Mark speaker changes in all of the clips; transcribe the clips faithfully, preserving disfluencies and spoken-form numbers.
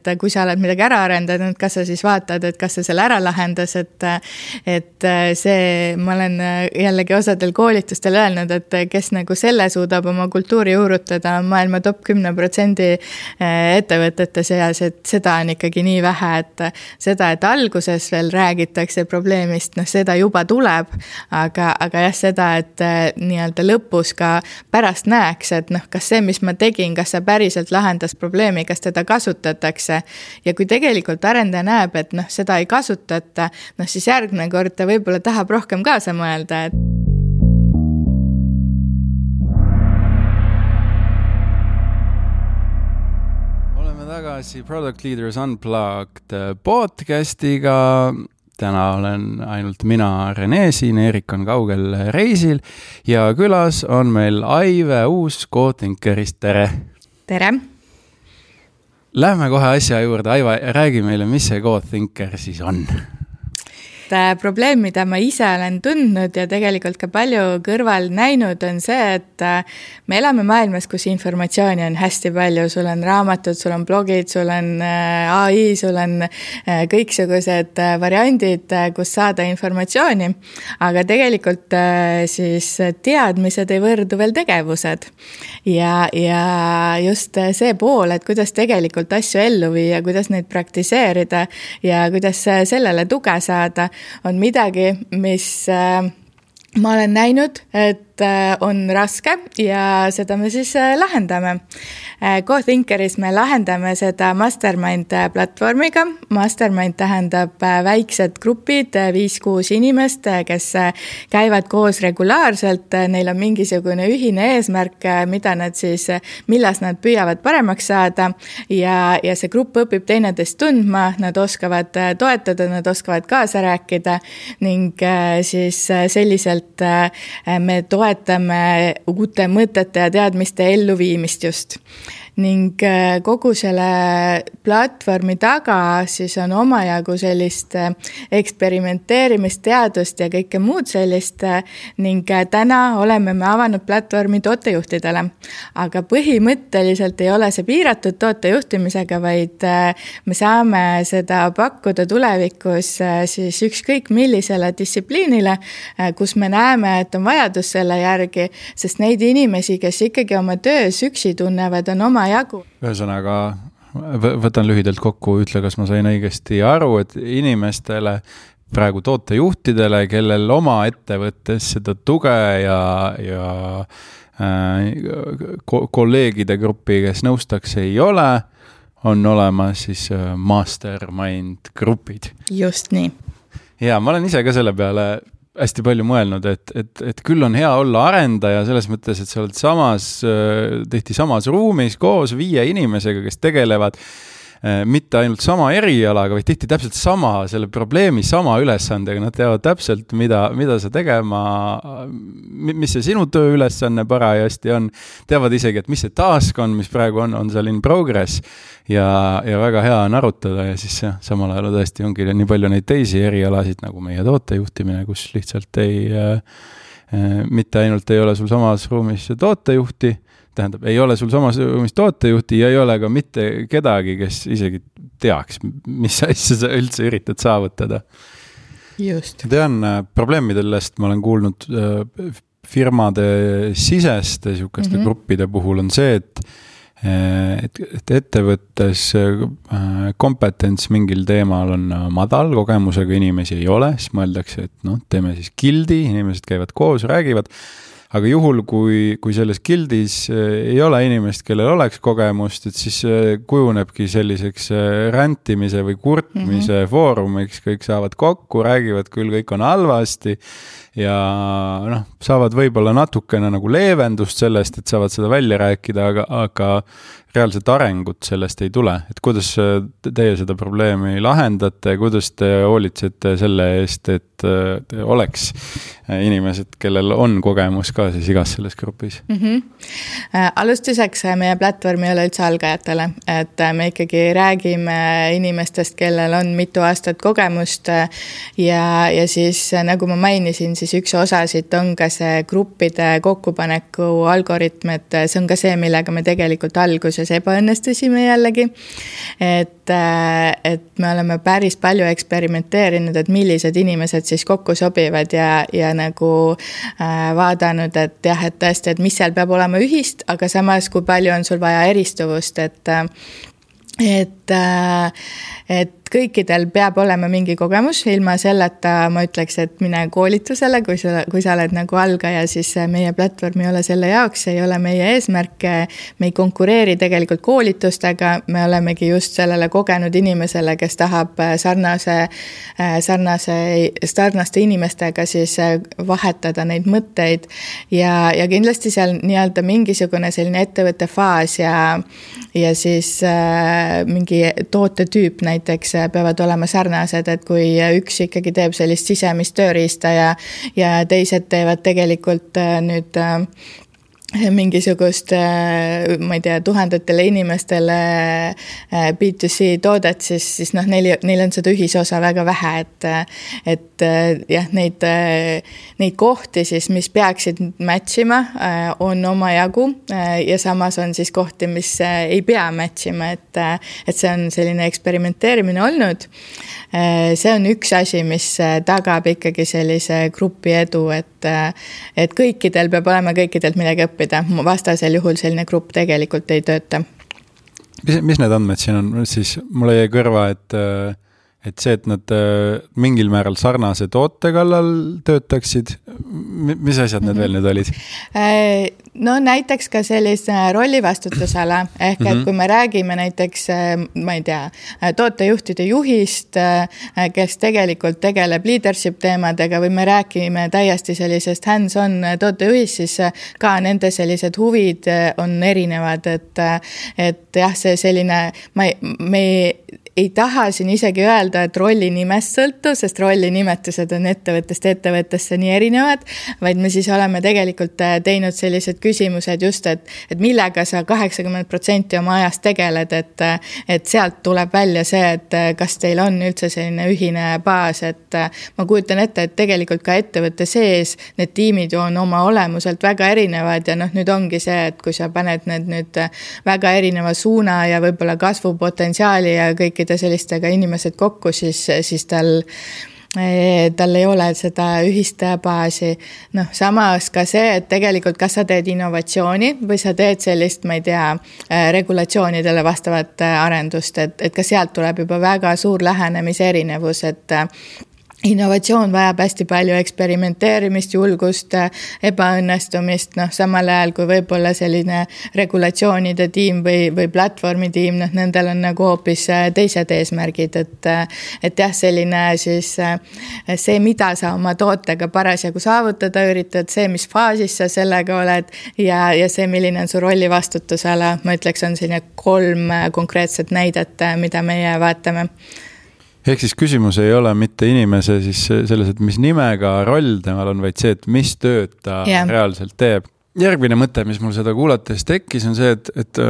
Speaker 1: et kui sa oled midagi ära arendanud, kas sa siis vaatad, et kas sa selle ära lahendas, et, et see, ma olen jällegi osadel koolitustel öelnud, et kes nagu selle suudab oma kultuuri juurutada maailma top kümne protsendi ettevõtete seas, et seda on ikkagi nii vähe, et seda, et alguses veel räägitakse probleemist, noh seda juba tuleb, aga, aga jah, seda, et nii-öelda lõpus ka pärast näeks, et noh, kas see, mis ma tegin, kas see päriselt lahendas probleemi, kas teda kasutatakse. Ja kui tegelikult arendaja näeb, et noh, seda ei kasutata, noh siis järgmine kord ta võib-olla tahab rohkem kaasa mõelda. Et...
Speaker 2: Oleme tagasi Product Leaders Unplugged podcastiga. Täna olen ainult mina, Rene siin, Erik on kaugel reisil ja külas on meil Aive Uus Codethinkerist. Tere!
Speaker 1: Tere!
Speaker 2: Lähme kohe asja juurde. Aiva, räägi meile, mis see Codethinker siis on?
Speaker 1: Probleem, mida ma ise olen tundnud ja tegelikult ka palju kõrval näinud, on see, et me elame maailmas, kus informatsiooni on hästi palju. Sul on raamatud, sul on blogid, sul on A I, sul on kõiksugused variandid, kus saada informatsiooni. Aga tegelikult siis teadmised ei võrdu veel tegevused. Ja, ja just see pool, et kuidas tegelikult asju ellu viia, kuidas neid praktiseerida ja kuidas sellele tuge saada, on midagi, mis äh, ma olen näinud, et on raske ja seda me siis lahendame. Codethinkeris me lahendame seda Mastermind platvormiga. Mastermind tähendab väiksed grupid, viis kuus inimest, kes käivad koos regulaarselt. Neil on mingisugune ühine eesmärk, mida nad siis, millas nad püüavad paremaks saada ja, ja see grupp õpib teineteist tundma, nad oskavad toetada, nad oskavad kaasa rääkida ning siis selliselt me toetame toetame uute mõtete ja teadmiste elluviimist just. Ning kogu selle platvormi taga siis on omajagu sellist eksperimenteerimist, teadust ja kõike muud sellist ning täna oleme me avanud platvormi tootejuhtidele. Aga põhimõtteliselt ei ole see piiratud tootejuhtimisega, vaid me saame seda pakkuda tulevikus siis ükskõik millisele distsipliinile, kus me näeme, et on vajadus selle järgi, sest neid inimesi, kes ikkagi oma töös üksi tunnevad, on oma jagu.
Speaker 2: Ühesõnaga, võtan lühidalt kokku, ütle, kas ma sain õigesti aru, et inimestele, praegu tootejuhtidele, kellel oma ettevõttes seda tuge ja, ja äh, kolleegide gruppi, kes nõustaks ei ole, on olemas siis mastermind grupid.
Speaker 1: Just nii.
Speaker 2: Ja ma olen ise ka selle peale hästi palju mõelnud, et, et, et küll on hea olla arendaja selles mõttes, et sa oled samas, tehti samas ruumis koos viie inimesega, kes tegelevad mitte ainult sama erialaga, vaid tihti täpselt sama, selle probleemi sama ülesandega. Nad teavad täpselt, mida, mida sa tegema, mis see sinu töö ülesanne parajasti on. Teavad isegi, et mis see task on, mis praegu on, on seal in progress ja, ja väga hea on arutada ja siis jah, samal ajal tõesti ongi nii palju neid teisi erialasid nagu meie tootejuhtimine, kus lihtsalt ei, äh, mitte ainult ei ole sul samas ruumis tootejuhti, tähendab, ei ole sul samas ruumis tootejuhti ja ei ole ka mitte kedagi, kes isegi teaks, mis asja sa üldse üritad saavutada.
Speaker 1: Just.
Speaker 2: Tean probleemidest, ma olen kuulnud firmade siseste sihukeste mm-hmm. gruppide puhul on see, et et, et ettevõttes kompetents mingil teemal on madal, kogemusega inimesi ei ole, siis mõeldakse, et noh, teeme siis gildi, inimesed käivad koos, räägivad. Aga juhul, kui, kui selles gildis ei ole inimest, kellel oleks kogemust, et siis kujunebki selliseks räntimise või kurtmise mm-hmm. foorumiks, kõik saavad kokku, räägivad küll, kõik on halvasti ja noh, saavad võib-olla natukene nagu leevendust sellest, et saavad seda välja rääkida, aga, aga reaalset arengut sellest ei tule. Et kuidas teie seda probleemi lahendate, kuidas te hoolitsete selle eest, et oleks inimesed, kellel on kogemus ka siis igas selles grupis?
Speaker 1: Mm-hmm. Alustuseks meie platvorm ei ole üldse algajatele, et me ikkagi räägime inimestest, kellel on mitu aastat kogemust ja, ja siis nagu ma mainisin, siis üks osasid on ka see gruppide kokkupaneku algoritm, et see on ka see, millega me tegelikult alguses alguses ebaõnnestusime jällegi, et, et me oleme päris palju eksperimenteerinud, et millised inimesed siis kokku sobivad ja, ja nagu vaadanud, et jah, et tõesti, et mis seal peab olema ühist, aga samas, kui palju on sul vaja eristuvust, et et, et kõikidel peab olema mingi kogemus, ilma selleta ma ütleks, et mine koolitusele, kui sa, kui sa oled nagu algaja, siis meie platvorm ei ole selle jaoks, ei ole meie eesmärk, me ei konkureeri tegelikult koolitustega, me olemegi just sellele kogenud inimesele, kes tahab sarnase, sarnase, sarnaste inimestega siis vahetada neid mõtteid ja, ja kindlasti seal nii-öelda mingisugune selline ettevõtte faas ja, ja siis äh, mingi tootetüüp näiteks peavad olema sarnased, et kui üks ikkagi teeb sellist sisemist tööriista ja, ja teised teevad tegelikult nüüd mingisugust, ma ei tea, tuhandetele inimestele B two C toodet, siis, siis noh, neil, neil on seda ühisosa väga vähe, et, et jah, neid, neid kohti siis, mis peaksid matchima, on omajagu ja samas on siis kohti, mis ei pea matchima, et, et see on selline eksperimenteerimine olnud. See on üks asi, mis tagab ikkagi sellise grupi edu, et, et kõikidel peab olema kõikidelt midagi õppida. Vastasel juhul selline grupp tegelikult ei tööta.
Speaker 2: Mis, mis need andmed siin on? Siis mulle jäi kõrva, et, et see, et nad mingil määral sarnase toote kallal töötaksid, mis asjad need mm-hmm. veel nüüd olid?
Speaker 1: No näiteks ka sellise rollivastutusala, ehk et kui me räägime näiteks, ma ei tea, tootejuhtide juhist, kes tegelikult tegeleb leadership teemadega või me räägime täiesti sellisest hands-on tootejuhist, siis ka nende sellised huvid on erinevad, et, et jah, see selline, ma, me ei taha siin isegi öelda, et rolli nimest sõltu, sest rolli nimetused on ettevõttest ettevõttesse nii erinevad, vaid me siis oleme tegelikult teinud sellised küsimused just, et, et millega sa kaheksakümmend protsenti oma ajast tegeled, et, et sealt tuleb välja see, et kas teil on üldse selline ühine baas, et ma kujutan ette, et tegelikult ka ettevõtte sees need tiimid on oma olemuselt väga erinevad ja noh, nüüd ongi see, et kui sa paned need nüüd väga erineva suuna ja võib-olla kasvupotentsiaali ja kõikide sellistega inimesed kokku, siis, siis tal tal ei ole seda ühist baasi. Noh, samas ka see, et tegelikult kas sa teed innovatsiooni või sa teed sellist, ma ei tea, regulatsioonidele vastavat arendust, et, et ka sealt tuleb juba väga suur lähenemise erinevus, et innovatsioon vajab hästi palju eksperimenteerimist, julgust, ebaõnnestumist, noh, samal ajal kui võib-olla selline regulatsioonide tiim või, või platvormi tiim, noh, nendel on nagu hoopis teised eesmärgid, et, et jah, selline siis see, mida sa oma tootega parasjagu saavutada üritad, see, mis faasis sa sellega oled ja, ja see, milline on su rolli vastutusala, ma ütleks, on selline kolm konkreetset näidet, mida meie vaatame.
Speaker 2: Ehk siis küsimus ei ole mitte inimese siis selles, et mis nimega roll temal on, vaid see, et mis tööd ta yeah. reaalselt teeb. Järgmine mõte, mis mul seda kuulates tekkis, on see, et, et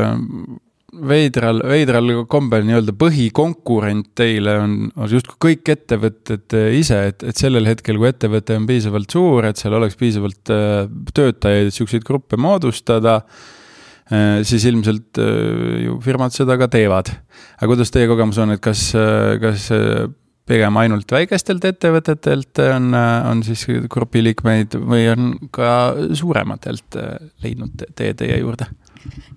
Speaker 2: veidral, veidral kombel nii-öelda põhikonkurent teile on, on just kõik ettevõtted ise, et, et sellel hetkel, kui ettevõte on piisavalt suur, et seal oleks piisavalt töötajaid, et selliseid gruppe moodustada, siis ilmselt ju firmad seda ka teevad. Aga kuidas teie kogemus on, et kas, kas pigem ainult väikestelt ettevõtetelt on, on siis grupiliikmeid või on ka suurematelt leidnud tee teie juurde?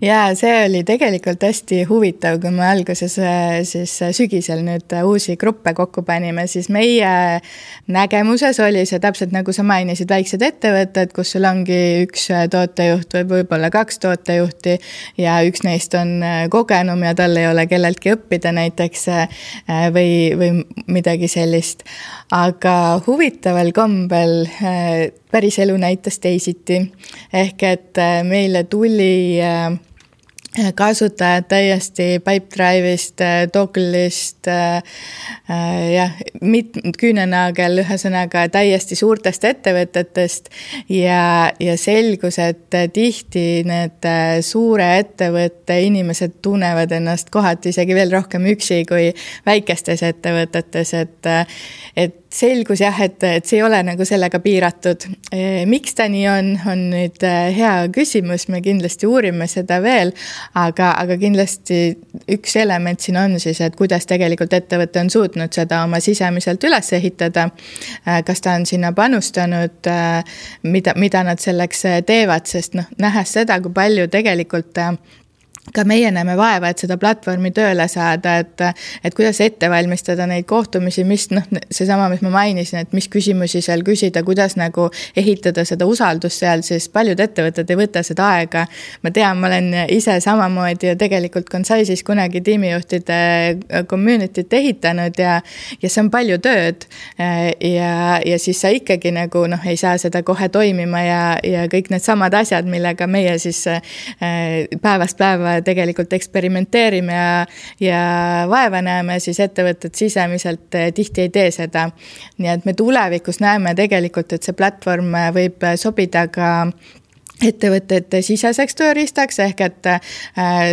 Speaker 1: Ja see oli tegelikult hästi huvitav, kui me alguses siis sügisel nüüd uusi gruppe kokku panime, siis meie nägemuses oli see täpselt nagu sa mainisid väiksed ettevõtted, kus sul ongi üks tootejuht või võib-olla kaks tootejuhti ja üks neist on kogenum ja tal ei ole kelleltki õppida näiteks või, või midagi sellist. Aga huvitaval kombel päris elu näitas teisiti. Ehk et meile tuli kasutajad täiesti Pipedrive'ist, Toggle'ist, jah, mit, küünenagel ühesõnaga täiesti suurtest ettevõtetest ja, ja selgus, et tihti need suure ettevõtte inimesed tunnevad ennast kohati isegi veel rohkem üksi kui väikestes ettevõtetes, et, et selgus jah, et, et see ei ole nagu sellega piiratud. Miks ta nii on, on nüüd hea küsimus, me kindlasti uurime seda veel, aga, aga kindlasti üks element siin on siis, et kuidas tegelikult ettevõte on suutnud seda oma sisemiselt üles ehitada, kas ta on sinna panustanud, mida, mida nad selleks teevad, sest noh, nähes seda, kui palju tegelikult ka meie näeme vaeva, et seda platvormi tööle saada, et, et kuidas ette valmistada neid kohtumisi, mis noh, see sama, mis ma mainisin, et mis küsimusi seal küsida, kuidas nagu ehitada seda usaldust seal, siis paljud ettevõtted ei võta seda aega. Ma tean, ma olen ise samamoodi ja tegelikult Consaisis kunagi tiimijuhtide community't ehitanud ja, ja see on palju tööd ja, ja siis sa ikkagi nagu noh, ei saa seda kohe toimima ja, ja kõik need samad asjad, millega meie siis päevast päeva tegelikult eksperimenteerime ja, ja vaeva näeme, siis ettevõtted sisemiselt tihti ei tee seda. Nii et me tulevikus näeme tegelikult, et see platvorm võib sobida ka ettevõtete siseseks tööriistaks, ehk et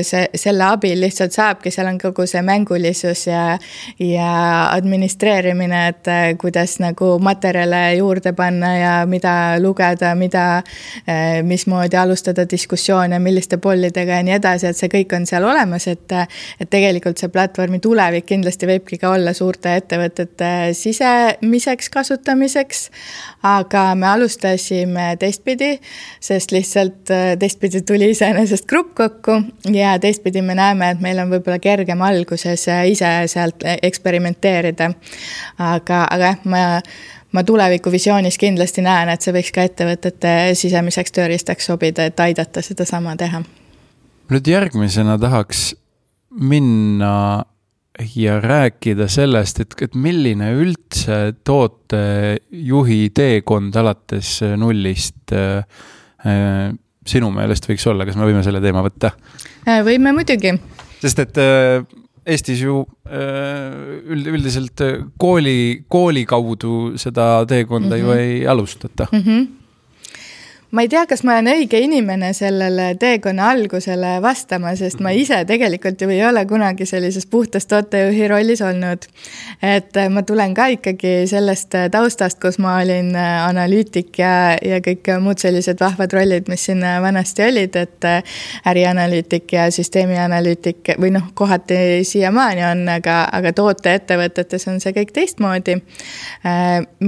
Speaker 1: see, selle abil lihtsalt saabki, seal on kogu see mängulisus ja, ja administreerimine, et kuidas nagu materjale juurde panna ja mida lugeda, mida, mismoodi alustada diskussioone, milliste pollidega ja nii edasi, et see kõik on seal olemas, et, et tegelikult see platvormi tulevik kindlasti võibki ka olla suurte ettevõtete sisemiseks kasutamiseks, aga me alustasime teistpidi, sest lihtsalt teistpidi tuli iseenesest grupp kokku ja teistpidi me näeme, et meil on võib-olla kergem alguses ise sealt eksperimenteerida. Aga, aga ma, ma tuleviku visioonis kindlasti näen, et see võiks ka ettevõtete sisemiseks tööriistaks sobida, et aidata seda sama teha.
Speaker 2: Nüüd järgmisena tahaks minna ja rääkida sellest, et, et milline üldse tootejuhi teekond alates nullist äh, sinu meelest võiks olla, kas me võime selle teema võtta?
Speaker 1: Võime muidugi.
Speaker 2: Sest et äh, Eestis ju äh, üldiselt kooli, kooli kaudu seda teekonda mm-hmm. ju ei alustata. Mm-hmm. Ma ei tea, kas ma olen õige inimene sellele teekonna algusele vastama, sest ma ise tegelikult ju ei ole kunagi sellises puhtas tootejuhi rollis olnud. Et ma tulen ka ikkagi sellest taustast, kus ma olin analüütik ja, ja kõik muud sellised vahvad rollid, mis siin vanasti olid, et ärianalüütik ja süsteemianalüütik või noh, kohati siiamaani on, aga, aga tooteettevõtetes on see kõik teistmoodi.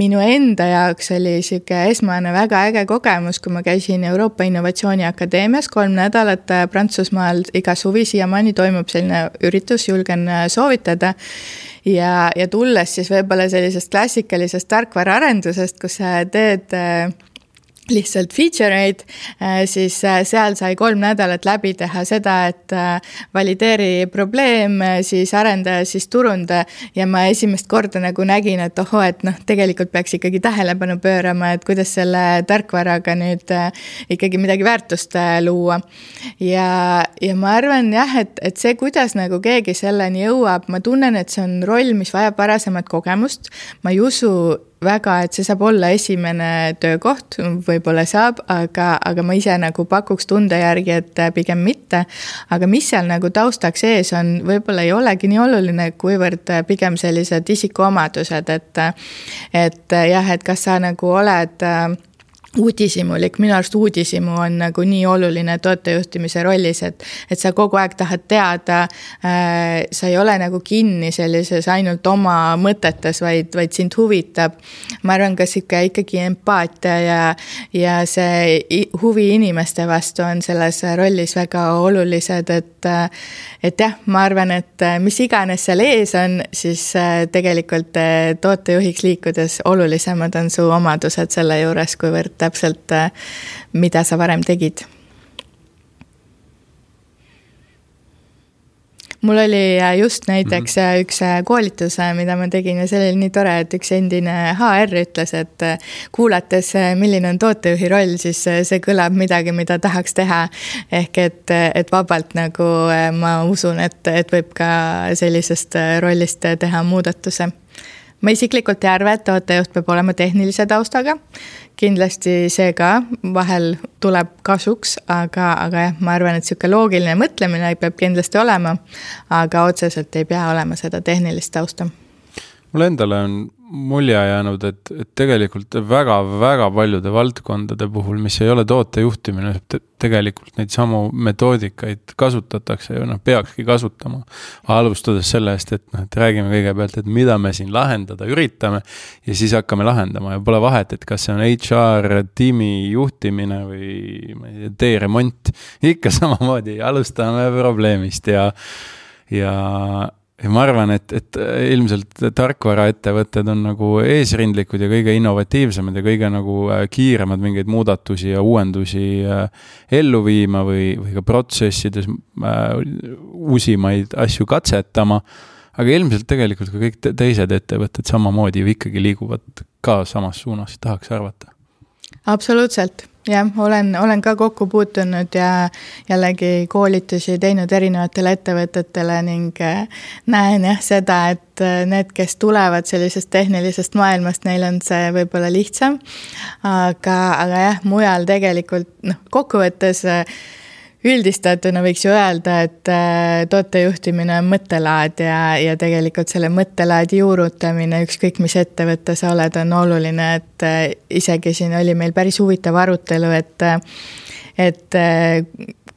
Speaker 2: Minu enda jaoks oli siuke esmane väga äge kogemus, kui ma käisin Euroopa Innovatsiooni Akadeemias kolm nädalat Prantsusmaal, iga suvi siiamaani toimub selline üritus, julgen soovitada. Ja, ja tulles siis võib-olla sellisest klassikalisest tarkvaraarendusest, kus sa teed lihtsalt feature'id, siis seal sai kolm nädalat läbi teha seda, et valideeri probleem, siis arendaja, siis turunda ja ma esimest korda nagu nägin, et oho, et noh, tegelikult peaks ikkagi tähelepanu pöörama, et kuidas selle tarkvaraga nüüd ikkagi midagi väärtust luua. Ja, ja ma arvan jah, et, et see, kuidas nagu keegi selleni jõuab, ma tunnen, et see on roll, mis vajab varasemat kogemust. Ma ei usu väga, et see saab olla esimene töökoht, võib-olla saab, aga, aga ma ise nagu pakuks tunde järgi, et pigem mitte. Aga mis seal nagu taustaks ees on, võib-olla ei olegi nii oluline, kuivõrd pigem sellised isikuomadused, et, et jah, et kas sa nagu oled uudisimulik, minu arust uudisimu on nagu nii oluline tootejuhtimise rollis, et, et sa kogu aeg tahad teada, äh, sa ei ole nagu kinni sellises ainult oma mõtetes, vaid, vaid sind huvitab. Ma arvan, kas ikka ikkagi empaatia ja, ja see huvi inimeste vastu on selles rollis väga olulised, et, et jah, ma arvan, et mis iganes seal ees on, siis tegelikult tootejuhiks liikudes olulisemad on su omadused selle juures, kuivõrd täpselt, mida sa varem tegid. Mul oli just näiteks mm-hmm. üks koolitus, mida ma tegin ja see oli nii tore, et üks endine H R ütles, et kuulates, milline on tootejuhi roll, siis see kõlab midagi, mida tahaks teha. Ehk et, et vabalt nagu ma usun, et, et võib ka sellisest rollist teha muudatuse. Ma isiklikult ei arva, et tootejuht peab olema tehnilise taustaga. Kindlasti see ka vahel tuleb kasuks, aga, aga jah, ma arvan, et siuke loogiline mõtlemine peab kindlasti olema, aga otseselt ei pea olema seda tehnilist tausta. Mulle endale on mulje jäänud, et, et tegelikult väga-väga paljude valdkondade puhul, mis ei ole tootejuhtimine, tegelikult neid samu metoodikaid kasutatakse ja noh, peakski kasutama. Alustades sellest, et, noh, et räägime kõigepealt, et mida me siin lahendada üritame ja siis hakkame lahendama ja pole vahet, et kas see on H R, tiimi juhtimine või tee-remont. Ikka samamoodi alustame probleemist ja, ja Ja ma arvan, et, et ilmselt tarkvaraettevõtted on nagu eesrindlikud ja kõige innovatiivsemad ja kõige nagu kiiremad mingeid muudatusi ja uuendusi ellu viima või, või ka protsessides uusimaid asju katsetama. Aga ilmselt tegelikult ka kõik teised ettevõtted samamoodi ju ikkagi liiguvad ka samas suunas, tahaks arvata.
Speaker 1: Absoluutselt. Jah, olen, olen ka kokku puutunud ja jällegi koolitusi teinud erinevatele ettevõtetele ning näen jah seda, et need, kes tulevad sellisest tehnilisest maailmast, neil on see võib-olla lihtsam, aga, aga jah, mujal tegelikult noh, kokkuvõttes üldistatuna võiks ju öelda, et tootejuhtimine on mõttelaad ja, ja tegelikult selle mõttelaadi juurutamine, ükskõik mis ettevõtte sa oled, on oluline, et isegi siin oli meil päris huvitav arutelu, et, et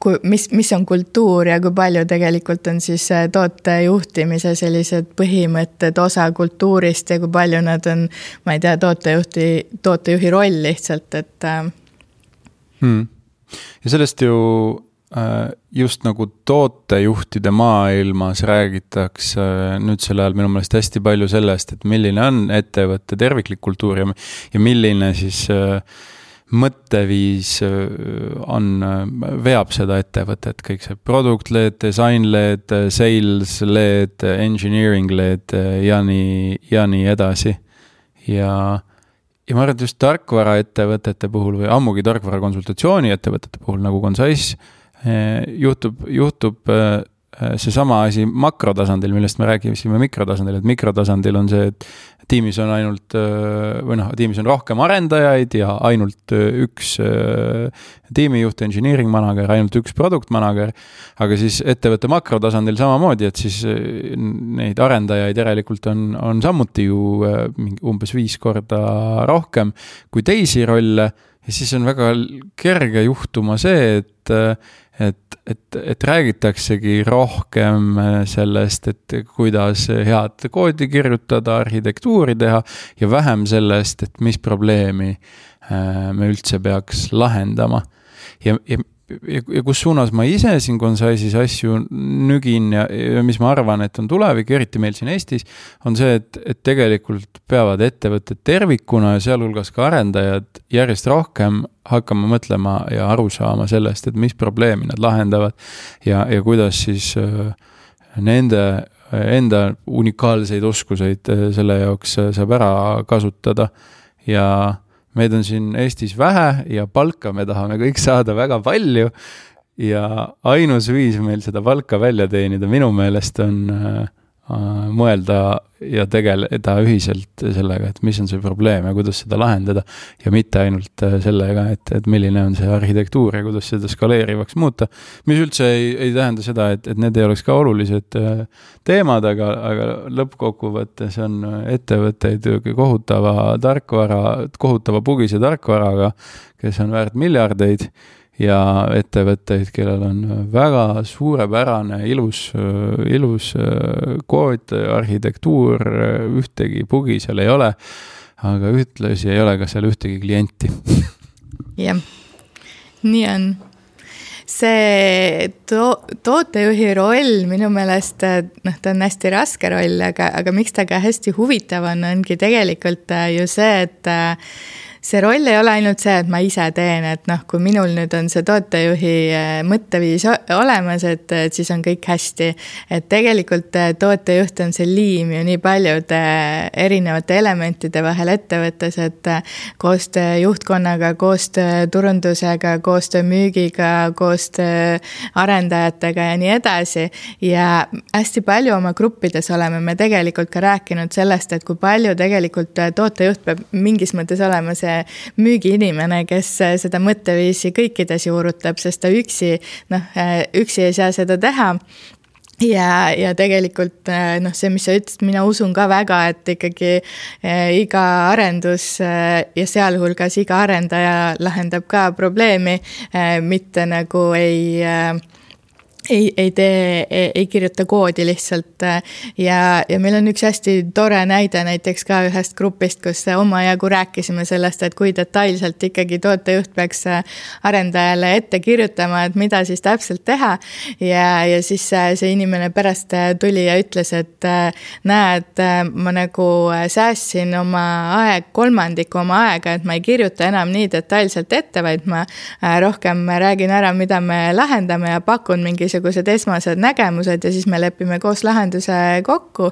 Speaker 1: kui, mis, mis on kultuur ja kui palju tegelikult on siis tootejuhtimise sellised põhimõtted osa kultuurist ja kui palju nad on, ma ei tea, tootejuhti, tootejuhi roll lihtsalt, et
Speaker 2: hmm. Ja sellest ju just nagu tootejuhtide maailmas räägitakse nüüd selle ajal minu meelest hästi palju sellest, et milline on ettevõtte terviklik kultuur ja, ja milline siis mõtteviis on, veab seda ettevõtet, kõik see product-led, design-led, sales-led, engineering-led ja nii, ja nii edasi. Ja Ja ma arvan, et just tarkvara ettevõtete puhul või ammugi tarkvara konsultatsiooni ettevõtete puhul nagu Consaiss juhtub, juhtub see sama asi makrotasandil, millest me räägime mikrotasandil, et mikrotasandil on see, et tiimis on ainult, või noh, tiimis on rohkem arendajaid ja ainult üks tiimijuht, engineering manager, ainult üks product manager, aga siis ettevõtte makrotasandil samamoodi, et siis neid arendajaid järelikult on, on samuti ju umbes viis korda rohkem kui teisi rolle ja siis on väga kerge juhtuma see, et Et, et, et räägitaksegi rohkem sellest, et kuidas head koodi kirjutada, arhitektuuri teha ja vähem sellest, et mis probleemi me üldse peaks lahendama. Ja, ja, ja, ja kus suunas ma ise siin Consaissis asju nügin ja, ja mis ma arvan, et on tulevik, eriti meil siin Eestis, on see, et, et tegelikult peavad ettevõtted tervikuna ja sealhulgas ka arendajad järjest rohkem hakkama mõtlema ja aru saama sellest, et mis probleemi nad lahendavad ja, ja kuidas siis nende enda unikaalseid oskuseid selle jaoks saab ära kasutada ja meid on siin Eestis vähe ja palka me tahame kõik saada väga palju ja ainus viis meil seda palka välja teenida minu meelest on äh, mõelda ja tegeleda ühiselt sellega, et mis on see probleem ja kuidas seda lahendada ja mitte ainult sellega, et, et milline on see arhitektuur ja kuidas seda skaleerivaks muuta, mis üldse ei, ei tähenda seda, et, et need ei oleks ka olulised teemad, aga, aga lõppkokkuvõttes on ettevõtteid kohutava tarkvara, kohutava bugise tarkvaraga, kes on väärt miljardeid ja ettevõtteid, kellel on väga suurepärane ilus, ilus kood, arhitektuur, ühtegi bugi seal ei ole, aga ühtlasi ei ole ka seal ühtegi klienti.
Speaker 1: Jah, nii on. See to- tootejuhi roll minu meelest, noh, ta on hästi raske roll, aga, aga miks ta ka hästi huvitav on, ongi tegelikult ju see, et see roll ei ole ainult see, et ma ise teen, et noh, kui minul nüüd on see tootejuhi mõtteviis olemas, et, et siis on kõik hästi. Et tegelikult tootejuht on see liim ju nii paljude erinevate elementide vahel ettevõttes, et koostöö juhtkonnaga, koostöö turundusega, koostöö müügiga, koostöö arendajatega ja nii edasi. Ja hästi palju oma gruppides oleme me tegelikult ka rääkinud sellest, et kui palju tegelikult tootejuht peab mingis mõttes olema see müügiinimene, kes seda mõtteviisi kõikides juurutab, sest ta üksi, noh, üksi ei saa seda teha. ja, ja tegelikult noh, see, mis sa ütlesid, mina usun ka väga, et ikkagi iga arendus ja sealhulgas iga arendaja lahendab ka probleemi, mitte nagu ei ei, ei tee, ei, ei kirjuta koodi lihtsalt ja, ja meil on üks hästi tore näide näiteks ka ühest grupist, kus omajagu rääkisime sellest, et kui detailselt ikkagi tootejuht peaks arendajale ette kirjutama, et mida siis täpselt teha ja, ja siis see inimene pärast tuli ja ütles, et näed, ma nagu säästsin oma aeg, kolmandiku oma aega, et ma ei kirjuta enam nii detailselt ette, vaid ma rohkem räägin ära, mida me lahendame ja pakun mingi mingisugused esmased nägemused ja siis me lepime koos lahenduse kokku.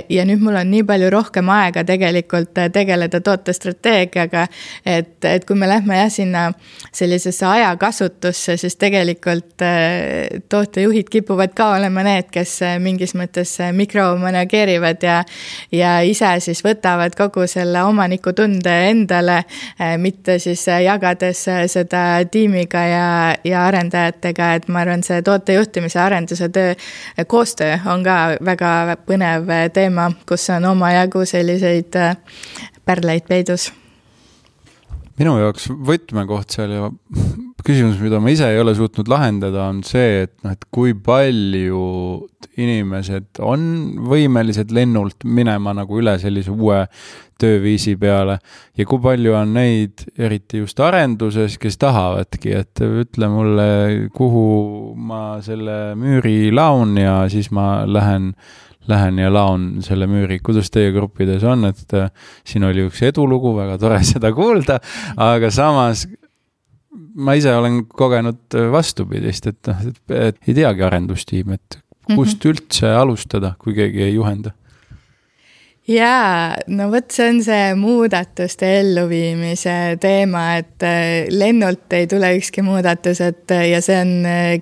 Speaker 1: Ja nüüd mul on nii palju rohkem aega tegelikult tegeleda tootestrateegiaga, et, et kui me lähme jah sinna sellisesse ajakasutusse, siis tegelikult tootejuhid kipuvad ka olema need, kes mingis mõttes mikromanageerivad ja, ja ise siis võtavad kogu selle omanikutunde endale, mitte siis jagades seda tiimiga ja, ja arendajatega, et ma arvan, see tootejuhtimise arenduse töö, koostöö on ka väga põnev teema, kus on omajagu selliseid pärleid peidus.
Speaker 2: Minu jaoks võtmekoht seal ja küsimus, mida ma ise ei ole suutnud lahendada, on see, et, no, et kui palju inimesed on võimelised lennult minema nagu üle sellise uue tööviisi peale ja kui palju on neid, eriti just arenduses, kes tahavadki, et ütle mulle, kuhu ma selle müüri laun ja siis ma lähen lähen ja laun selle müüri. Kuidas teie gruppides on, et siin oli üks edulugu, väga tore seda kuulda, aga samas ma ise olen kogenud vastupidist, et, et, et ei teagi arendustiim, et kust üldse alustada, kui keegi ei juhenda?
Speaker 1: Jaa, no võt, see on see muudatuste elluviimise teema, et lennult ei tule ükski muudatus, et, ja see on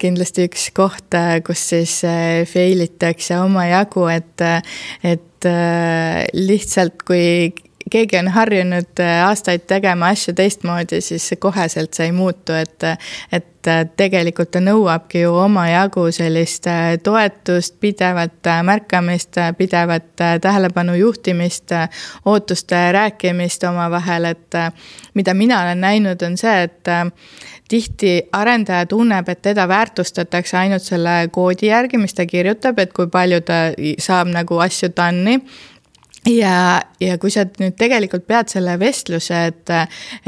Speaker 1: kindlasti üks koht, kus siis failitakse oma jagu, et, et lihtsalt kui keegi on harjunud aastaid tegema asju teistmoodi, siis koheselt see ei muutu, et, et tegelikult ta nõuabki ju oma jagu sellist toetust, pidevat märkamist, pidevat tähelepanu juhtimist, ootuste rääkimist oma vahel, et mida mina olen näinud on see, et tihti arendaja tunneb, et teda väärtustatakse ainult selle koodi järgi, mis ta kirjutab, et kui palju ta saab nagu asju tanni. Ja, ja kui sa nüüd tegelikult pead selle vestluse, et,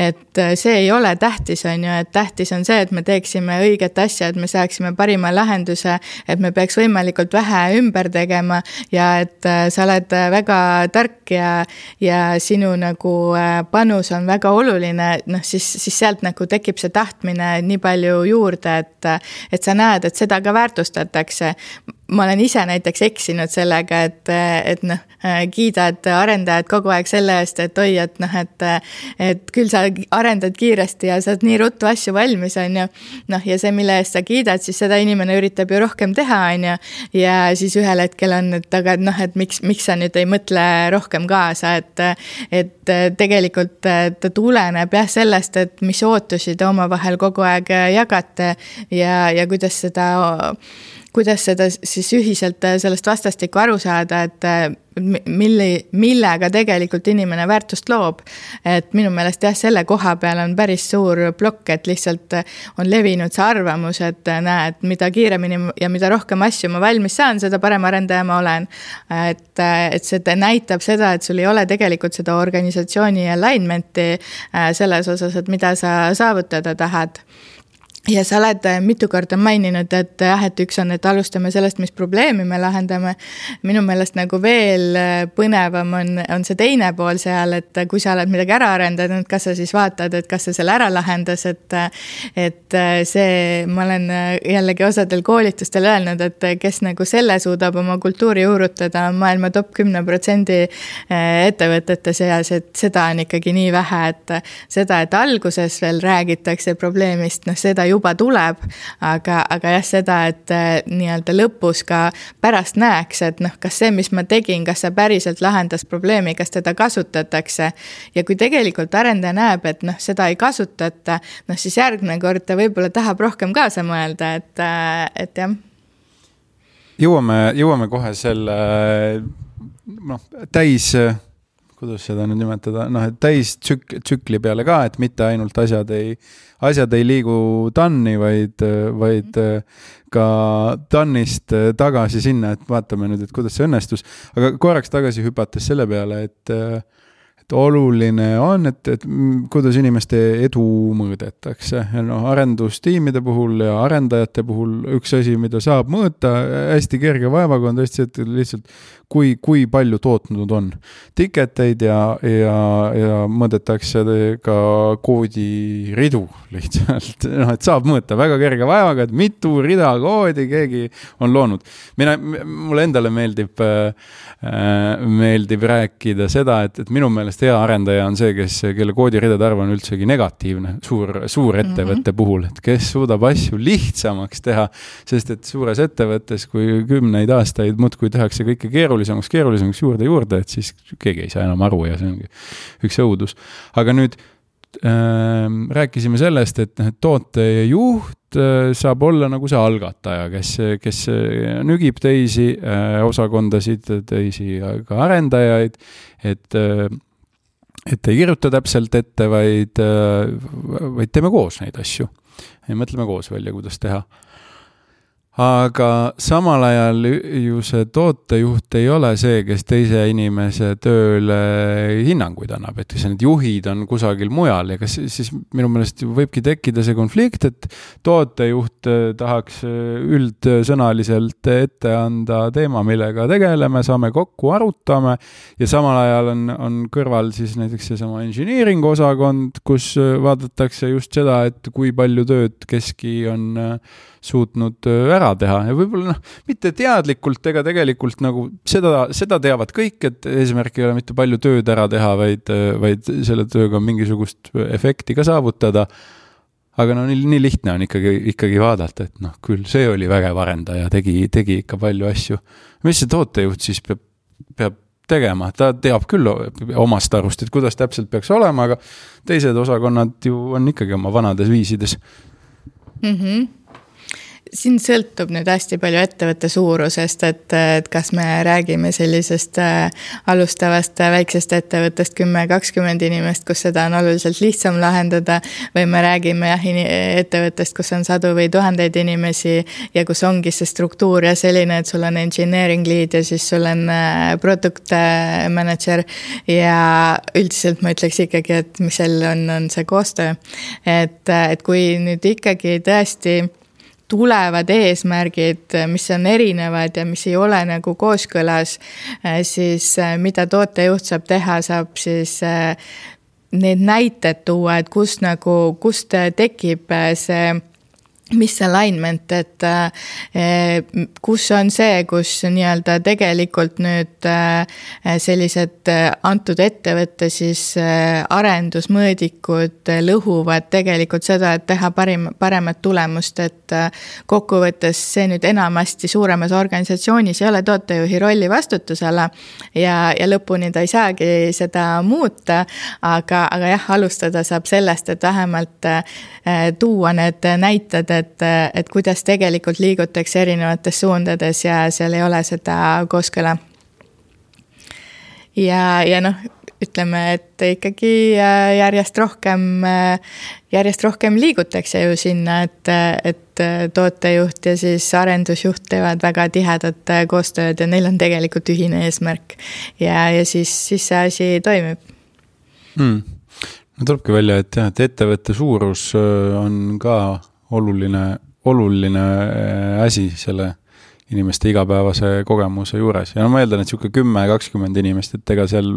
Speaker 1: et see ei ole tähtis, on ju, et tähtis on see, et me teeksime õiget asja, et me saaksime parima lahenduse, et me peaks võimalikult vähe ümber tegema ja et sa oled väga tark ja, ja sinu nagu panus on väga oluline, noh siis, siis sealt nagu tekib see tahtmine nii palju juurde, et, et sa näed, et seda ka väärtustatakse. Ma olen ise näiteks eksinud sellega, et, et noh, kiidad arendajad kogu aeg selle eest, et oi, et noh, et, et küll sa arendad kiiresti ja saad nii ruttu asju valmis, on ju. Noh, ja see, mille eest sa kiidad, siis seda inimene üritab ju rohkem teha, on ju. Ja siis ühel hetkel on, et aga noh, et miks, miks sa nüüd ei mõtle rohkem kaasa, et, et tegelikult ta tuleneb jah sellest, et mis ootusi te oma vahel kogu aeg jagate ja, ja kuidas seda kuidas seda siis ühiselt sellest vastastikku aru saada, et milli, millega tegelikult inimene väärtust loob. Et minu meelest jah, selle koha peal on päris suur plokk, et lihtsalt on levinud see arvamus, et näed, mida kiiremini ja mida rohkem asju ma valmis saan, seda parem arendaja ma olen. Et, et see näitab seda, et sul ei ole tegelikult seda organisatsiooni alignmenti selles osas, et mida sa saavutada tahad. Ja sa oled mitu korda maininud, et jah, et üks on, et alustame sellest, mis probleemi me lahendame. Minu meelest nagu veel põnevam on, on see teine pool seal, et kui sa oled midagi ära arendanud, kas sa siis vaatad, et kas sa selle ära lahendas, et, et see, ma olen jällegi osadel koolitustel öelnud, et kes nagu selle suudab oma kultuuri juurutada maailma top kümne protsendi ettevõtete seas, et seda on ikkagi nii vähe, et seda, et alguses veel räägitakse probleemist, noh seda juba tuleb, aga, aga jah seda, et nii-öelda lõpus ka pärast näeks, et noh, kas see, mis ma tegin, kas see päriselt lahendas probleemi, kas teda kasutatakse ja kui tegelikult arendaja näeb, et noh, seda ei kasutata, noh siis järgmine kord ta võib-olla tahab rohkem kaasa mõelda, et, et jah.
Speaker 2: jõuame, jõuame kohe selle noh, täis, kuidas seda nüüd nimetada, noh, et täis tsük, tsükli peale ka, et mitte ainult asjad ei, asjad ei liigu tanni, vaid, vaid ka tannist tagasi sinna, et vaatame nüüd, et kuidas see õnnestus. Aga korraks tagasi hüpates selle peale, et et oluline on, et, et kuidas inimeste edu mõõdetakse. No, arendustiimide puhul ja arendajate puhul üks asi, mida saab mõõta hästi kerge vaevaga on tõesti, et lihtsalt kui, kui palju tootnud on. Tiketeid ja, ja, ja mõõdetakse ka koodi ridu lihtsalt. No, et saab mõõta väga kerge vaevaga, et mitu rida koodi keegi on loonud. Mina, mulle endale meeldib, äh, meeldib rääkida seda, et, et minu meelest hea arendaja on see, kes, kelle koodiridade arv on üldsegi negatiivne suur, suur ettevõtte mm-hmm. puhul, et kes suudab asju lihtsamaks teha, sest et suures ettevõttes, kui kümneid aastaid muudkui tehakse kõike keerulisemaks, keerulisemaks juurde juurde, et siis keegi ei saa enam aru ja see ongi üks õudus. Aga nüüd äh, rääkisime sellest, et tootejuht äh, saab olla nagu see algataja, kes, kes nügib teisi äh, osakondasid, teisi ka arendajaid, et äh, et ei kirjuta täpselt ette, vaid, vaid teeme koos neid asju. Ja mõtleme koos välja, kuidas teha. Aga samal ajal ju see tootejuht ei ole see, kes teise inimese tööle hinnanguid annab, et kas need juhid on kusagil mujal ja kas siis minu meelest võibki tekkida see konflikt, et tootejuht tahaks üldsõnaliselt ette anda teema, millega tegeleme, saame kokku, arutame ja samal ajal on, on kõrval siis näiteks see sama engineering osakond, kus vaadatakse just seda, et kui palju tööd keski on suutnud ära teha ja võib-olla noh, mitte teadlikult ega tegelikult nagu seda, seda teavad kõik, et eesmärk ei ole mitte palju tööd ära teha, vaid, vaid selle tööga mingisugust efekti ka saavutada. Aga no nii, nii lihtne on ikkagi, ikkagi vaadata, et noh, küll see oli vägev arendaja, tegi, tegi ikka palju asju. Mis see tootejuht siis peab, peab tegema? Ta teab küll omast arust, et kuidas täpselt peaks olema, aga teised osakonnad ju on ikkagi oma vanades viisides.
Speaker 1: Mhm. Siin sõltub nüüd hästi palju ettevõtte suurusest, et, et kas me räägime sellisest alustavast väiksest ettevõttest kümme kakskümmend inimest, kus seda on oluliselt lihtsam lahendada, või me räägime jah, ettevõttest, kus on sadu või tuhandeid inimesi ja kus ongi see struktuur ja selline, et sul on engineering lead ja siis sul on product manager ja üldiselt ma ütleks ikkagi, et mis seal on, on see koostöö. Et, et kui nüüd ikkagi tõesti tulevad eesmärgid, mis on erinevad ja mis ei ole nagu kooskõlas, siis mida tootejuht saab teha, saab siis need näited tuua, et kus nagu, kust tekib see mis alignment, et kus on see, kus nii-öelda tegelikult nüüd sellised antud ettevõtte siis arendusmõõdikud lõhuvad tegelikult seda, et teha parim, paremat tulemust, et kokkuvõttes see nüüd enamasti suuremas organisatsioonis ei ole tootejuhi rolli vastutusala ja, ja lõpuni ta ei saagi seda muuta, aga, aga jah, alustada saab sellest, et vähemalt tuua need näited, et, et kuidas tegelikult liigutakse erinevates suundades ja seal ei ole seda kooskõla. Ja, ja noh, ütleme, et ikkagi järjest rohkem, järjest rohkem liigutakse ju sinna, et, et tootejuht ja siis arendusjuht teevad väga tihedat koostööd ja neil on tegelikult ühine eesmärk ja, ja siis, siis see asi toimib.
Speaker 2: Hmm. No tulebki välja, et, jah, et ettevõtte suurus on ka oluline, oluline asi selle inimeste igapäevase kogemuse juures. Ja no ma eeldan, et siuke kümme kakskümmend inimest, et ega seal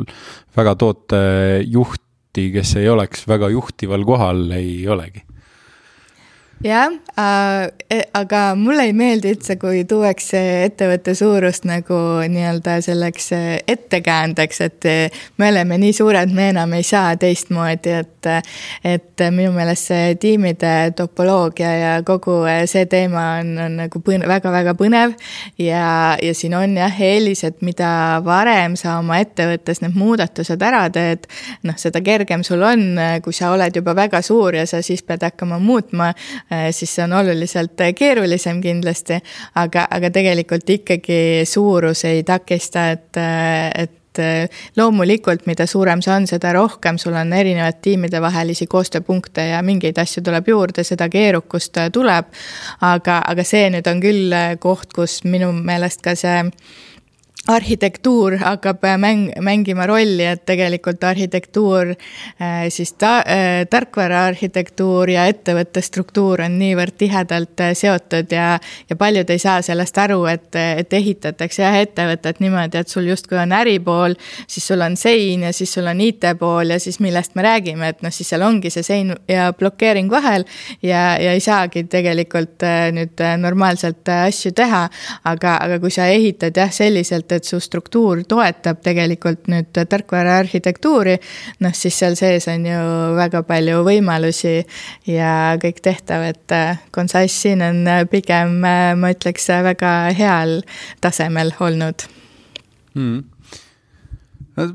Speaker 2: väga tootejuhti, kes ei oleks väga juhtival kohal, ei olegi.
Speaker 1: Jah, aga mulle ei meeldi üldse, kui tuuakse ettevõtte suurust nagu nii-öelda selleks ettekäändeks, et me oleme nii suured, me enam ei saa teistmoodi, et, et minu meelest see tiimide topoloogia ja kogu see teema on, on nagu põne, väga-väga põnev ja, ja siin on jah eelis, et mida varem sa oma ettevõttes need muudatused ära teed, noh, seda kergem sul on, kui sa oled juba väga suur ja sa siis pead hakkama muutma, siis see on oluliselt keerulisem kindlasti, aga, aga tegelikult ikkagi suurus ei takista, et, et loomulikult, mida suurem see on, seda rohkem sul on erinevad tiimide vahelisi koostööpunkte ja mingeid asju tuleb juurde, seda keerukust tuleb, aga, aga see nüüd on küll koht, kus minu meelest ka see arhitektuur hakkab mäng, mängima rolli, et tegelikult arhitektuur, siis ta, tarkvara arhitektuur ja ettevõtte struktuur on niivõrd tihedalt seotud ja, ja paljud ei saa sellest aru, et, et ehitatakse jah ettevõtet niimoodi, et sul justkui on äripool, siis sul on sein ja siis sul on I T pool ja siis millest me räägime, et noh, siis seal ongi see sein ja blokeering vahel ja, ja ei saagi tegelikult nüüd normaalselt asju teha, aga, aga kui sa ehitad jah selliselt, et su struktuur toetab tegelikult nüüd tarkvara arhitektuuri, noh siis seal sees on ju väga palju võimalusi ja kõik tehtav, et Consise siin on pigem, ma ütleks, väga heal tasemel olnud.
Speaker 2: Hmm. No,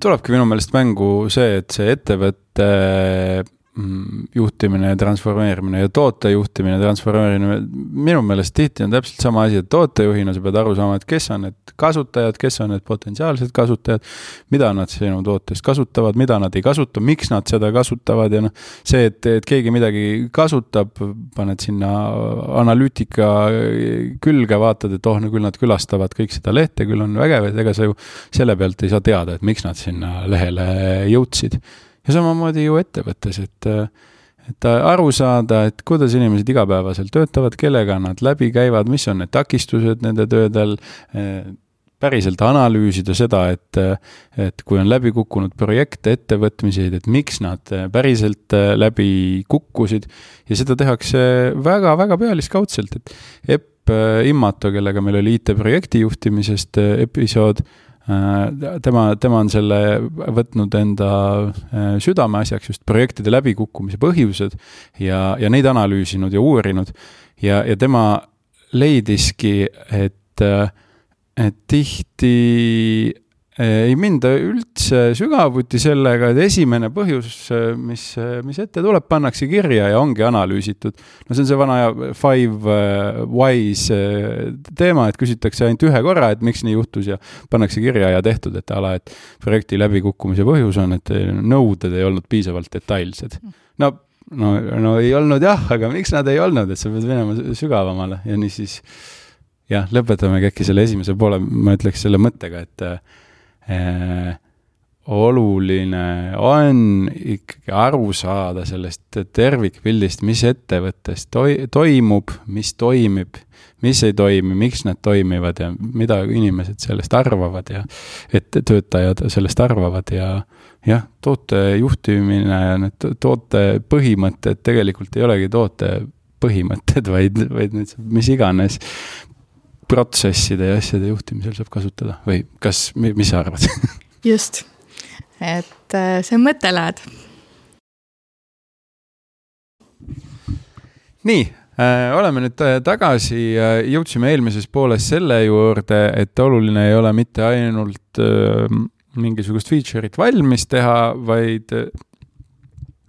Speaker 2: tulebki minu meelest mängu see, et see ettevõtte juhtimine ja transformeerimine ja toote juhtimine ja transformeerimine, minu meelest tihti on täpselt sama asi, et tootejuhina sa pead aru saama, et kes on need kasutajad, kes on need potentsiaalsed kasutajad, mida nad sinu tootest kasutavad, mida nad ei kasuta, miks nad seda kasutavad ja noh, see, et, et keegi midagi kasutab, paned sinna analüütika külge, vaatad, et oh, no küll nad külastavad kõik seda lehte, küll on vägev, et ega sa ju selle pealt ei saa teada, et miks nad sinna lehele jõudsid. Ja samamoodi ju ettevõttes, et, et aru saada, et kuidas inimesed igapäevaselt töötavad, kellega nad läbi käivad, mis on need takistused nende töödel, päriselt analüüsida seda, et, et kui on läbi kukkunud projekte, ettevõtmiseid, et miks nad päriselt läbi kukkusid ja seda tehakse väga-väga pealiskaudselt, et Epp Immato, kellega meil oli I T-projekti juhtimisest episood, Tema, tema on selle võtnud enda südame asjaks just projektide läbikukkumise põhjused ja, ja neid analüüsinud ja uurinud ja, ja tema leidiski, et, et tihti ei minda üldse sügavuti sellega, et esimene põhjus, mis, mis ette tuleb, pannakse kirja ja ongi analüüsitud. No see on see vana five whys teema, et küsitakse ainult ühe korra, et miks nii juhtus ja pannakse kirja ja tehtud, et ala, et projekti läbikukkumise põhjus on, et nõuded ei olnud piisavalt detailsed. No, no, no ei olnud jah, aga miks nad ei olnud, et sa pead minema sügavamale ja nii siis jah, lõpetame äkki selle esimese poole, ma ütleks selle mõttega, et Eh, oluline on ikkagi aru saada sellest tervikpildist, mis ettevõttes toi- toimub, mis toimib, mis ei toimi, miks need toimivad ja mida inimesed sellest arvavad ja et töötajad sellest arvavad ja jah, toote juhtimine ja need toote põhimõtted tegelikult ei olegi toote põhimõtted, vaid, vaid need, mis iganes protsesside ja asjade juhtimisel saab kasutada või kas, mis sa arvad?
Speaker 1: Just, et see on mõttelaad.
Speaker 2: Nii, äh, oleme nüüd tagasi, jõudsime eelmises pooles selle juurde, et oluline ei ole mitte ainult äh, mingisugust feature'it valmis teha, vaid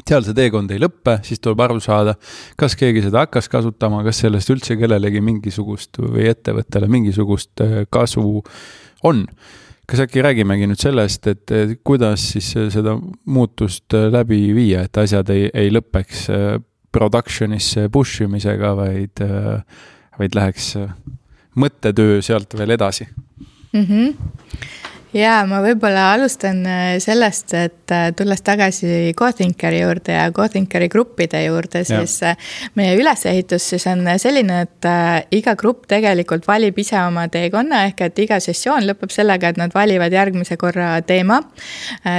Speaker 2: seal see teekond ei lõppe, siis tuleb aru saada, kas keegi seda hakkas kasutama, kas sellest üldse kellelegi mingisugust või ettevõttele mingisugust kasu on. Kas äkki räägimegi nüüd sellest, et kuidas siis seda muutust läbi viia, et asjad ei, ei lõpeks productionisse push imisega, vaid, vaid läheks mõttetöö sealt veel edasi?
Speaker 1: Mhm. Jaa, ma võib-olla alustan sellest, et tulles tagasi GoThinkeri juurde ja GoThinkeri gruppide juurde, siis ja. Meie ülesehitus siis on selline, et iga grupp tegelikult valib ise oma teekonna, ehk et iga sessioon lõpeb sellega, et nad valivad järgmise korra teema.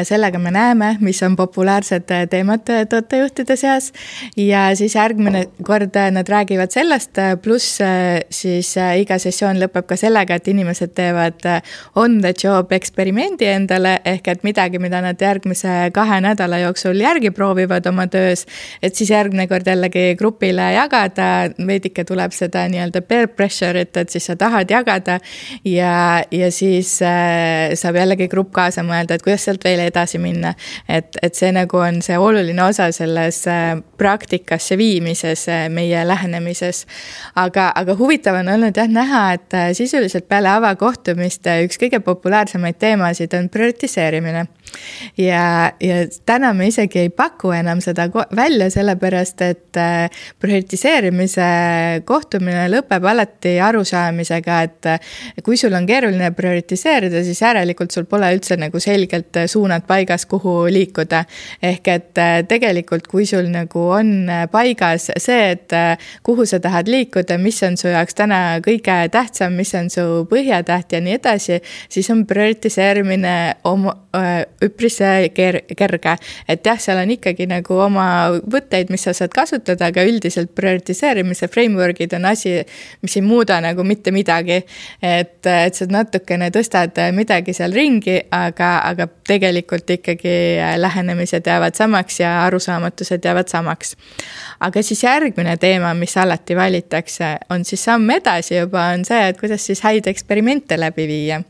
Speaker 1: Sellega me näeme, mis on populaarsed teemad tootejuhtide seas ja siis järgmine kord nad räägivad sellest, pluss siis iga sessioon lõpeb ka sellega, et inimesed teevad on the job eksperimendi endale, ehk et midagi, mida nad järgmise kahe nädala jooksul järgi proovivad oma töös, et siis järgmine kord jällegi grupile jagada, veidike tuleb seda nii-öelda peer pressure'it, et siis sa tahad jagada ja, ja siis äh, saab jällegi grupp kaasa mõelda, et kuidas sealt veel edasi minna. Et, et see nagu on see oluline osa selles äh, praktikasse viimises äh, meie lähenemises. Aga, aga huvitav on olnud jah näha, et äh, sisuliselt peale avakohtumist üks kõige populaarsemaid teemasid on prioritiseerimine. Ja, ja täna me isegi ei paku enam seda välja, sellepärast, et prioritiseerimise kohtumine lõpeb alati arusaamisega, et kui sul on keeruline prioritiseerida, siis järelikult sul pole üldse nagu selgelt suunad paigas, kuhu liikuda. Ehk et tegelikult, kui sul nagu on paigas see, et kuhu sa tahad liikuda, mis on su jaoks täna kõige tähtsam, mis on su põhjatäht ja nii edasi, siis on prioritiseerimine oma üpris kerge, et jah, seal on ikkagi nagu oma võtteid, mis sa saad kasutada, aga üldiselt prioritiseerimise frameworkid on asi, mis ei muuda nagu mitte midagi, et, et sa natukene tõstad midagi seal ringi, aga, aga tegelikult ikkagi lähenemised jäävad samaks ja arusaamatused jäävad samaks. Aga siis järgmine teema, mis alati valitakse, on siis samm edasi juba, on see, et kuidas siis häid eksperimente läbi viia.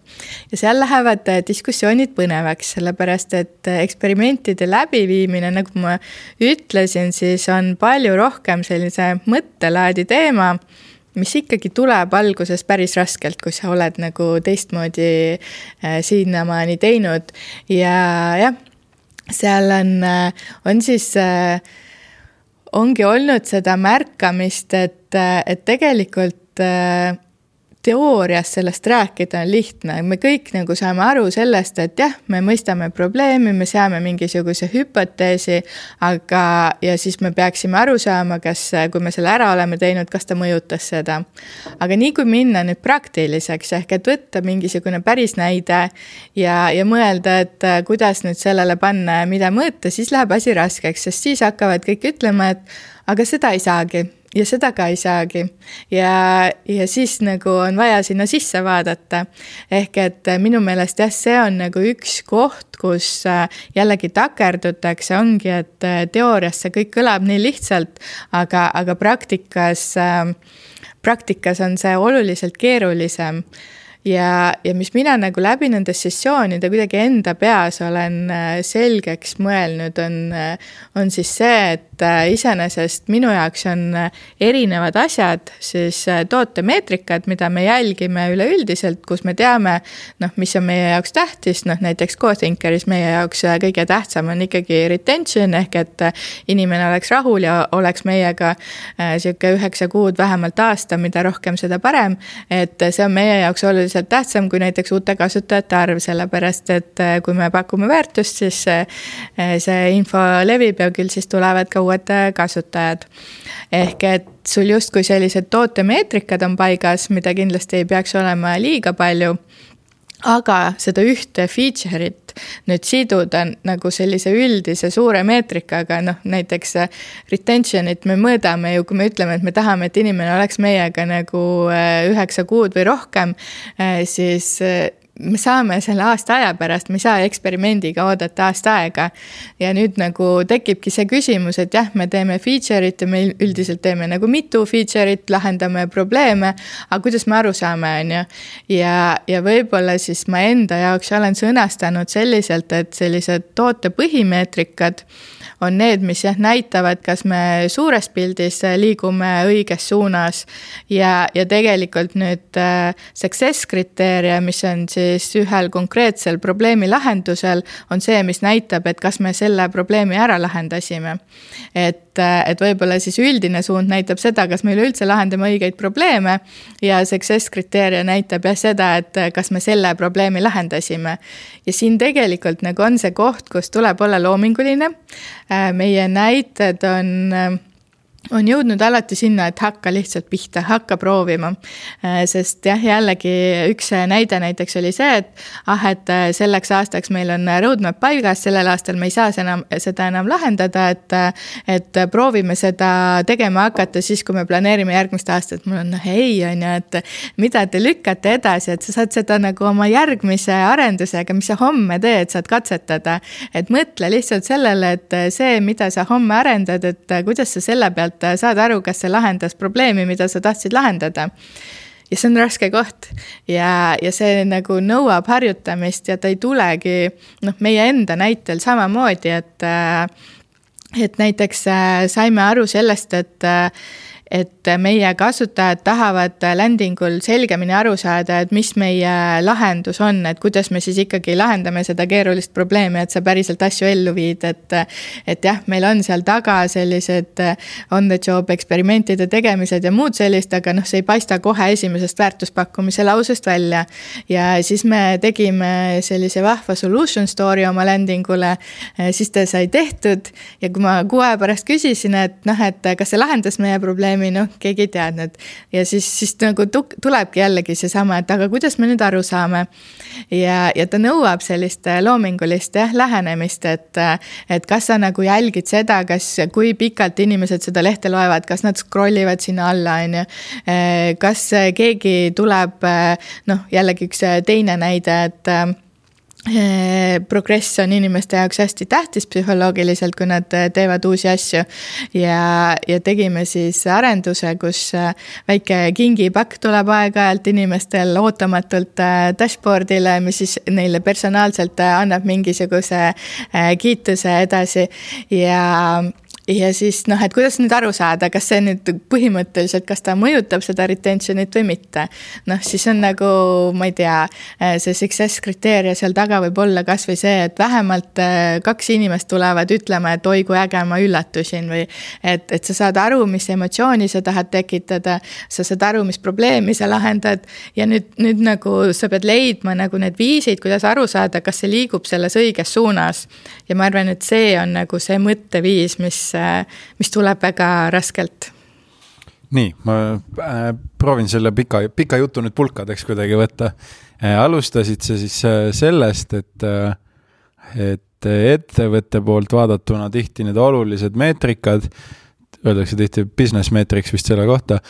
Speaker 1: Ja seal lähevad diskussioonid põnevaks, sellepärast, et eksperimentide läbiviimine, nagu ma ütlesin, siis on palju rohkem sellise mõttelaadi teema, mis ikkagi tuleb alguses päris raskelt, kui sa oled nagu teistmoodi siinnamaani teinud. Ja jah, seal on, on siis, ongi olnud seda märkamist, et, et tegelikult teoorias sellest rääkida on lihtne. Me kõik nagu saame aru sellest, et jah, me mõistame probleemi, me seame mingisuguse hüpoteesi, aga ja siis me peaksime aru saama, kas kui me selle ära oleme teinud, kas ta mõjutas seda. Aga nii kui minna nüüd praktiliseks, ehk et võtta mingisugune päris näide ja, ja mõelda, et kuidas nüüd sellele panna ja mida mõõta, siis läheb asi raskeks, sest siis hakkavad kõik ütlema, et aga seda ei saagi. Ja seda ka ei saagi. Ja, ja siis nagu on vaja sinna sisse vaadata. Ehk et minu meelest jah, see on nagu üks koht, kus jällegi takerdutakse, ongi, et teoorias see kõik kõlab nii lihtsalt, aga, aga praktikas, praktikas on see oluliselt keerulisem. Ja, ja mis mina nagu läbi nende sessioonide kuidagi enda peas olen selgeks mõelnud, on, on siis see, et iseenesest minu jaoks on erinevad asjad, siis tootemeetrikad, mida me jälgime üleüldiselt, kus me teame, noh, mis on meie jaoks tähtis, noh, näiteks CoThinkeris meie jaoks kõige tähtsam on ikkagi retention, ehk et inimene oleks rahul ja oleks meiega siuke üheksa kuud vähemalt aasta, mida rohkem seda parem, et see on meie jaoks oluliselt tähtsam kui näiteks uute kasutajate arv, sellepärast, et kui me pakume väärtust, siis see info levib ja küll siis tulevad ka uued kasutajad. Ehk et sul just kui sellised tootemeetrikad on paigas, mida kindlasti ei peaks olema liiga palju, aga seda ühte feature'it nüüd siduda nagu sellise üldise suure meetrikaga, noh näiteks retention'it me mõõdame ju, kui me ütleme, et me tahame, et inimene oleks meiega nagu üheksa kuud või rohkem, siis me saame selle aasta aja pärast, me ei saa eksperimendiga oodata aasta aega. Ja nüüd nagu tekibki see küsimus, et jah, me teeme feature'it ja me üldiselt teeme nagu mitu feature'it, lahendame probleeme, aga kuidas me aru saame, on ju? Ja, ja võib-olla siis ma enda jaoks olen sõnastanud selliselt, et sellised toote põhimeetrikad on need, mis jah, näitavad, kas me suures pildis liigume õiges suunas ja, ja tegelikult nüüd success kriteeria, mis on siis ühel konkreetsel probleemi lahendusel, on see, mis näitab, et kas me selle probleemi ära lahendasime. Et, et võib-olla siis üldine suund näitab seda, kas me üleüldse lahendame õigeid probleeme ja success kriteeria näitab jah seda, et kas me selle probleemi lahendasime. Ja siin tegelikult nagu on see koht, kus tuleb olla loominguline. Meie näited on on jõudnud alati sinna, et hakka lihtsalt pihta, hakka proovima. Sest jah, jällegi üks näide näiteks oli see, et ah, et selleks aastaks meil on roadmap paigas, sellel aastal me ei saa seda enam, seda enam lahendada, et, et proovime seda tegema hakata siis, kui me planeerime järgmist aastat. Mul on noh, ei, on ju, et mida te lükkate edasi, et sa saad seda nagu oma järgmise arendusega, mis sa homme teed, saad katsetada. Et mõtle lihtsalt sellele, et see, mida sa homme arendad, et kuidas sa selle pealt saad aru, kas see lahendas probleemi, mida sa tahtsid lahendada. Ja see on raske koht ja, ja see nagu nõuab harjutamist ja ta ei tulegi noh, meie enda näitel samamoodi, et, et näiteks saime aru sellest, et et meie kasutajad tahavad landingul selgemini aru saada, et mis meie lahendus on, et kuidas me siis ikkagi lahendame seda keerulist probleemi, et sa päriselt asju ellu viid, et, et jah, meil on seal taga sellised on the job eksperimentide tegemised ja muud sellist, aga noh, see ei paista kohe esimesest väärtuspakkumise lausest välja. Ja siis me tegime sellise vahva solution story oma landingule, siis ta sai tehtud ja kui ma kuu aja pärast küsisin, et noh, et kas see lahendas meie probleemi, noh, keegi ei teadnud. Ja siis, siis nagu tulebki jällegi see sama, et aga kuidas me nüüd aru saame. Ja, ja ta nõuab sellist loomingulist jah, lähenemist, et, et kas sa nagu jälgid seda, kas, kui pikalt inimesed seda lehte loevad, kas nad scrollivad sinna alla, on ju. Kas keegi tuleb, noh, jällegi üks teine näide, et progress on inimeste jaoks hästi tähtis psühholoogiliselt, kui nad teevad uusi asju ja, ja tegime siis arenduse, kus väike kingipakk tuleb aeg-ajalt inimestel ootamatult dashboardile, mis siis neile personaalselt annab mingisuguse kiituse edasi ja ja siis noh, et kuidas nüüd aru saada, kas see nüüd põhimõtteliselt, kas ta mõjutab seda retentionit või mitte. Noh, siis on nagu, ma ei tea, see success kriteeria seal taga võib olla kas või see, et vähemalt kaks inimest tulevad ütlema, et oi kui äge ma üllatusin või et, et sa saad aru, mis emotsiooni sa tahad tekitada, sa saad aru, mis probleemi sa lahendad ja nüüd, nüüd nagu sa pead leidma nagu need viisid, kuidas aru saada, kas see liigub selles õiges suunas. Ja ma arvan, et see on nagu see mõtteviis, mis mis tuleb väga raskelt.
Speaker 2: Nii, ma äh, proovin selle pika, pika jutu nüüd pulkadeks kuidagi võtta. Äh, alustasid sa siis äh, sellest, et, äh, et ettevõtte poolt vaadatuna tihti need olulised meetrikad, öeldakse tihti business metrics vist selle kohta,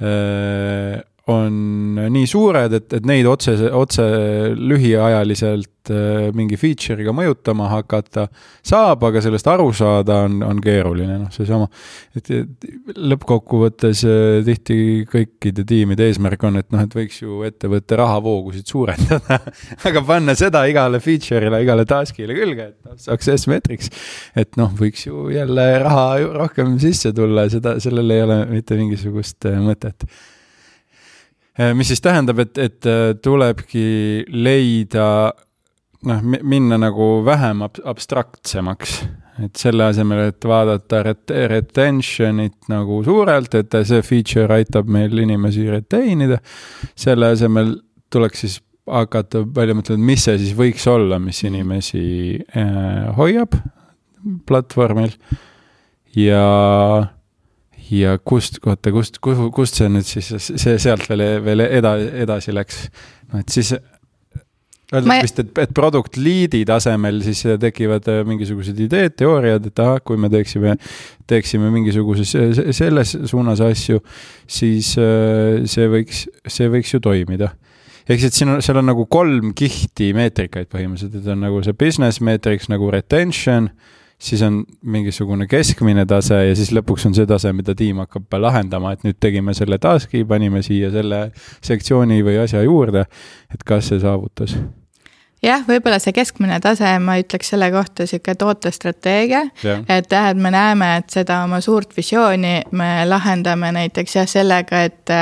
Speaker 2: äh, on nii suured, et, et neid otse, otse lühiajaliselt mingi feature'iga mõjutama hakata saab, aga sellest aru saada on, on keeruline. No, see sama, et, et lõppkokkuvõttes tihti kõikide tiimide eesmärk on, et, noh, et võiks ju ettevõtte rahavoogusid suurendada, aga panna seda igale feature'ile, igale task'ile külge, et success metrics, et noh, võiks ju jälle raha rohkem sisse tulla, seda, sellel ei ole mitte mingisugust mõtet. Mis siis tähendab, et, et tulebki leida, noh, minna nagu vähem abstraktsemaks, et selle asemel, et vaadata ret- retentionit nagu suurelt, et see feature aitab meil inimesi retainida, selle asemel tuleks siis hakata palju mõtlema, mis see siis võiks olla, mis inimesi äh, hoiab platvormil ja ja kust, kohta, kust, kust see nüüd siis, see sealt veel, veel eda, edasi läks. No, et siis öeldaks Ma... vist, et, et product lead'i tasemel siis tekivad mingisugused ideed, teooriad, et aha, kui me teeksime, teeksime mingisuguses selles suunas asju, siis see võiks, see võiks ju toimida. Ehk siis siin on, seal on nagu kolm kihti meetrikaid põhimõtteliselt, et on nagu see business metrics, nagu retention, siis on mingisugune keskmine tase ja siis lõpuks on see tase, mida tiim hakkab lahendama, et nüüd tegime selle taski, panime siia selle sektsiooni või asja juurde, et kas see saavutas.
Speaker 1: Jah, võib-olla see keskmine tase, ma ütleks selle kohta siuke tootestrateegia, et jah, et me näeme, et seda oma suurt visiooni me lahendame näiteks jah sellega, et,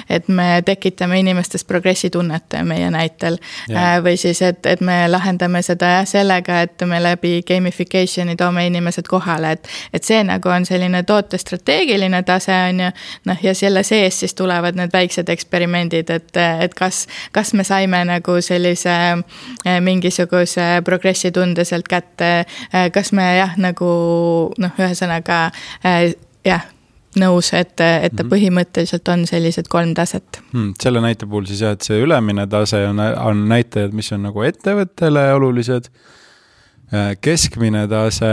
Speaker 1: et me tekitame inimestes progressi tunnete meie näitel. Ja. Või siis, et, et me lahendame seda jah sellega, et me läbi gamificationi toome inimesed kohale, et, et see nagu on selline tootestrateegiline tase on ju, noh ja selle sees siis tulevad need väiksed eksperimendid, et, et kas, kas me saime nagu sellise mingisuguse progressi tunde sealt kätte, kas me jah, nagu noh, ühesõnaga jah, nõus, et, et ta põhimõtteliselt on sellised kolm taset.
Speaker 2: Hmm, selle näite puhul siis jah, et see ülemine tase on, on näitajad, mis on nagu ettevõttele olulised, keskmine tase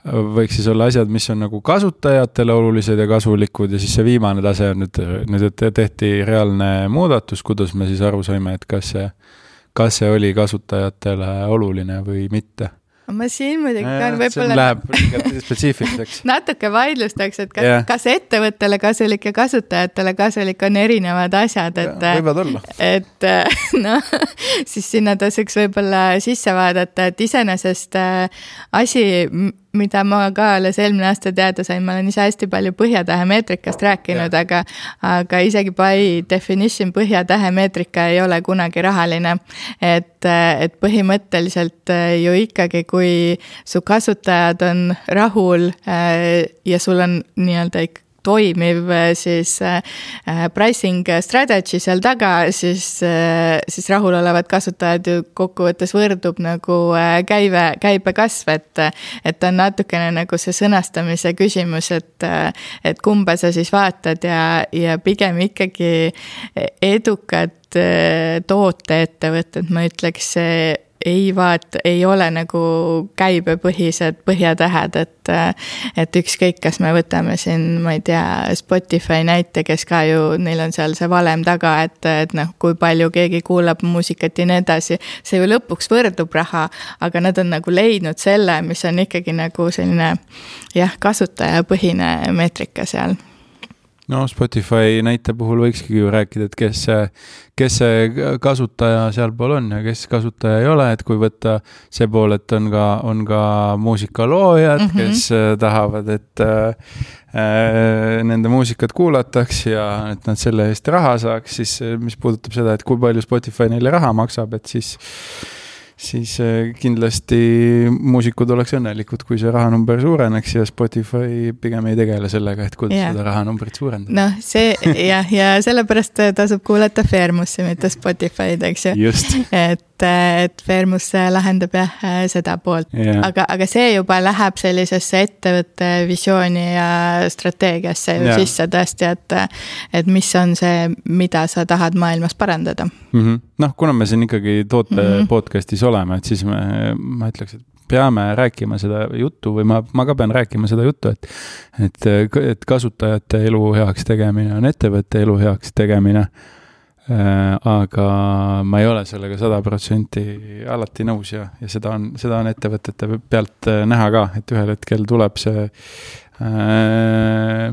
Speaker 2: võiks siis olla asjad, mis on nagu kasutajatele olulised ja kasulikud ja siis see viimane tase on nüüd, nüüd et tehti reaalne muudatus, kuidas me siis aru saime, et kas see, kas see oli kasutajatele oluline või mitte.
Speaker 1: Ma siin muidugi on võib-olla
Speaker 2: läheb spetsiifiliseks.
Speaker 1: natuke vaidlustaks, et kas,
Speaker 2: yeah.
Speaker 1: kas ettevõttele kasulik ja kasutajatele kasulik on erinevad asjad, et,
Speaker 2: võivad olla.
Speaker 1: et no, siis sinna tasuks võib-olla sisse vaadata, et iseenesest asi, mida ma ka alles eelmine aasta teada sain, ma olen ise hästi palju põhjatähe meetrikast rääkinud, yeah. aga, aga isegi by definition põhjatähe meetrika ei ole kunagi rahaline, et, et põhimõtteliselt ju ikkagi, kui su kasutajad on rahul ja sul on nii-öelda ikka toimiv siis pricing strategy seal taga, siis, siis rahul olevad kasutajad ju kokkuvõttes võrdub nagu käive, käibe kasv, et, et on natukene nagu see sõnastamise küsimus, et, et kumba sa siis vaatad ja, ja pigem ikkagi edukad tooteettevõtted, ma ütleks, ei vaat, ei ole nagu käibepõhised põhjatähed, et, et ükskõik, kas me võtame siin, ma ei tea, Spotify näite, kes ka ju, neil on seal see valem taga, et, et noh, kui palju keegi kuulab muusikat ja nii edasi, see ju lõpuks võrdub raha, aga nad on nagu leidnud selle, mis on ikkagi nagu selline jah, kasutajapõhine meetrika seal.
Speaker 2: No Spotify näite puhul võikski ju rääkida, et kes see, kes see kasutaja seal pool on ja kes kasutaja ei ole, et kui võtta see pool, et on ka, on ka muusikaloojad, mm -hmm. kes tahavad, et äh, nende muusikat kuulataks ja et nad selle eest raha saaks, siis mis puudutab seda, et kui palju Spotify neile raha maksab, et siis siis kindlasti muusikud oleks õnnelikud, kui see rahanumber suureneks ja Spotify pigem ei tegele sellega, et kuidas yeah. seda rahanumbrit suurendada.
Speaker 1: Noh, see jah, ja sellepärast tasub kuulata Fairmussi, mitte Spotify'd, eks ju.
Speaker 2: Just.
Speaker 1: Et, et Fairmus lahendab jah seda poolt. Yeah. Aga, aga see juba läheb sellisesse ettevõtte visiooni ja strateegiasse ju yeah. sisse tõesti, et, et mis on see, mida sa tahad maailmas parandada.
Speaker 2: Mm-hmm. Noh, kuna me siin ikkagi toote mm-hmm. podcastis oleme, et siis me, ma ütleks, et peame rääkima seda juttu või ma, ma ka pean rääkima seda juttu, et, et, et kasutajate elu heaks tegemine on ettevõtte elu heaks tegemine, aga ma ei ole sellega sada protsenti alati nõus ja, ja seda on, seda on ettevõtete pealt näha ka, et ühel hetkel tuleb see äh,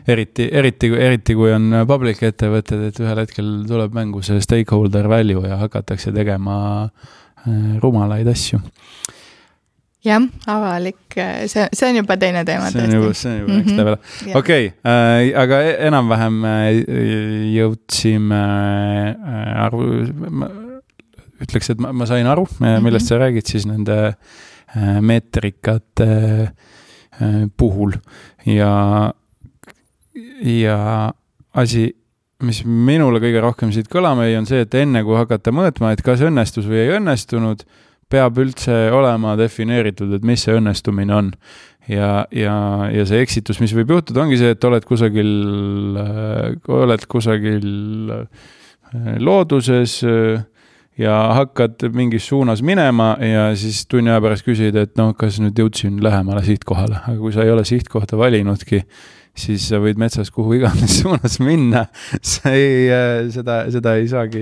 Speaker 2: eriti, eriti, eriti kui on public ettevõtted, et ühel hetkel tuleb mängu see stakeholder value ja hakatakse tegema rumalaid asju.
Speaker 1: Jah, avalik, see, see on juba teine teema.
Speaker 2: See on juba, see on juba mm-hmm. level. Okei, okay, äh, aga enam-vähem jõudsime äh, aru, ma ütleks, et ma, ma sain aru, millest mm-hmm. sa räägid siis nende äh, meetrikate äh, puhul ja, ja asi, mis minule kõige rohkem siit kõlama ei on see, et enne kui hakata mõõtma, et kas õnnestus või ei õnnestunud, peab üldse olema defineeritud, et mis see õnnestumine on. Ja, ja, ja see eksitus, mis võib juhtuda, ongi see, et oled kusagil, oled kusagil looduses ja hakkad mingis suunas minema ja siis tunni aja pärast küsid, et noh, kas nüüd jõudsin lähemale sihtkohale. Aga kui sa ei ole sihtkohta valinudki, siis sa võid metsas kuhu iganes suunas minna, sa ei, seda, seda, ei saagi,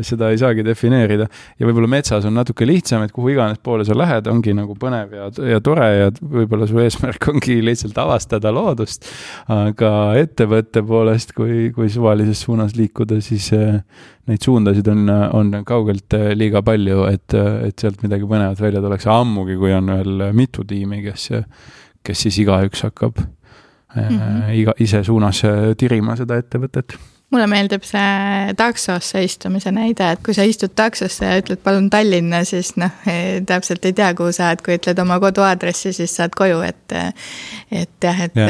Speaker 2: seda ei saagi defineerida. Ja võib-olla metsas on natuke lihtsam, et kuhu iganes poole sa lähed, ongi nagu põnev ja, ja tore ja võib-olla su eesmärk ongi lihtsalt avastada loodust, aga ettevõtte poolest, kui, kui suvalises suunas liikuda, siis neid suundasid on, on kaugelt liiga palju, et, et sealt midagi põnevat välja tuleks ammugi, kui on veel mitu tiimi, kes, kes siis igaüks hakkab Mm-hmm. iga ise suunas tirima seda ettevõtet.
Speaker 1: Mulle meeldib see taksosse istumise näide, et kui sa istud taksosse ja ütled palun Tallinna, siis noh, täpselt ei tea, kuhu saad, kui ütled oma koduaadressi, siis saad koju, et, et jah, et ja.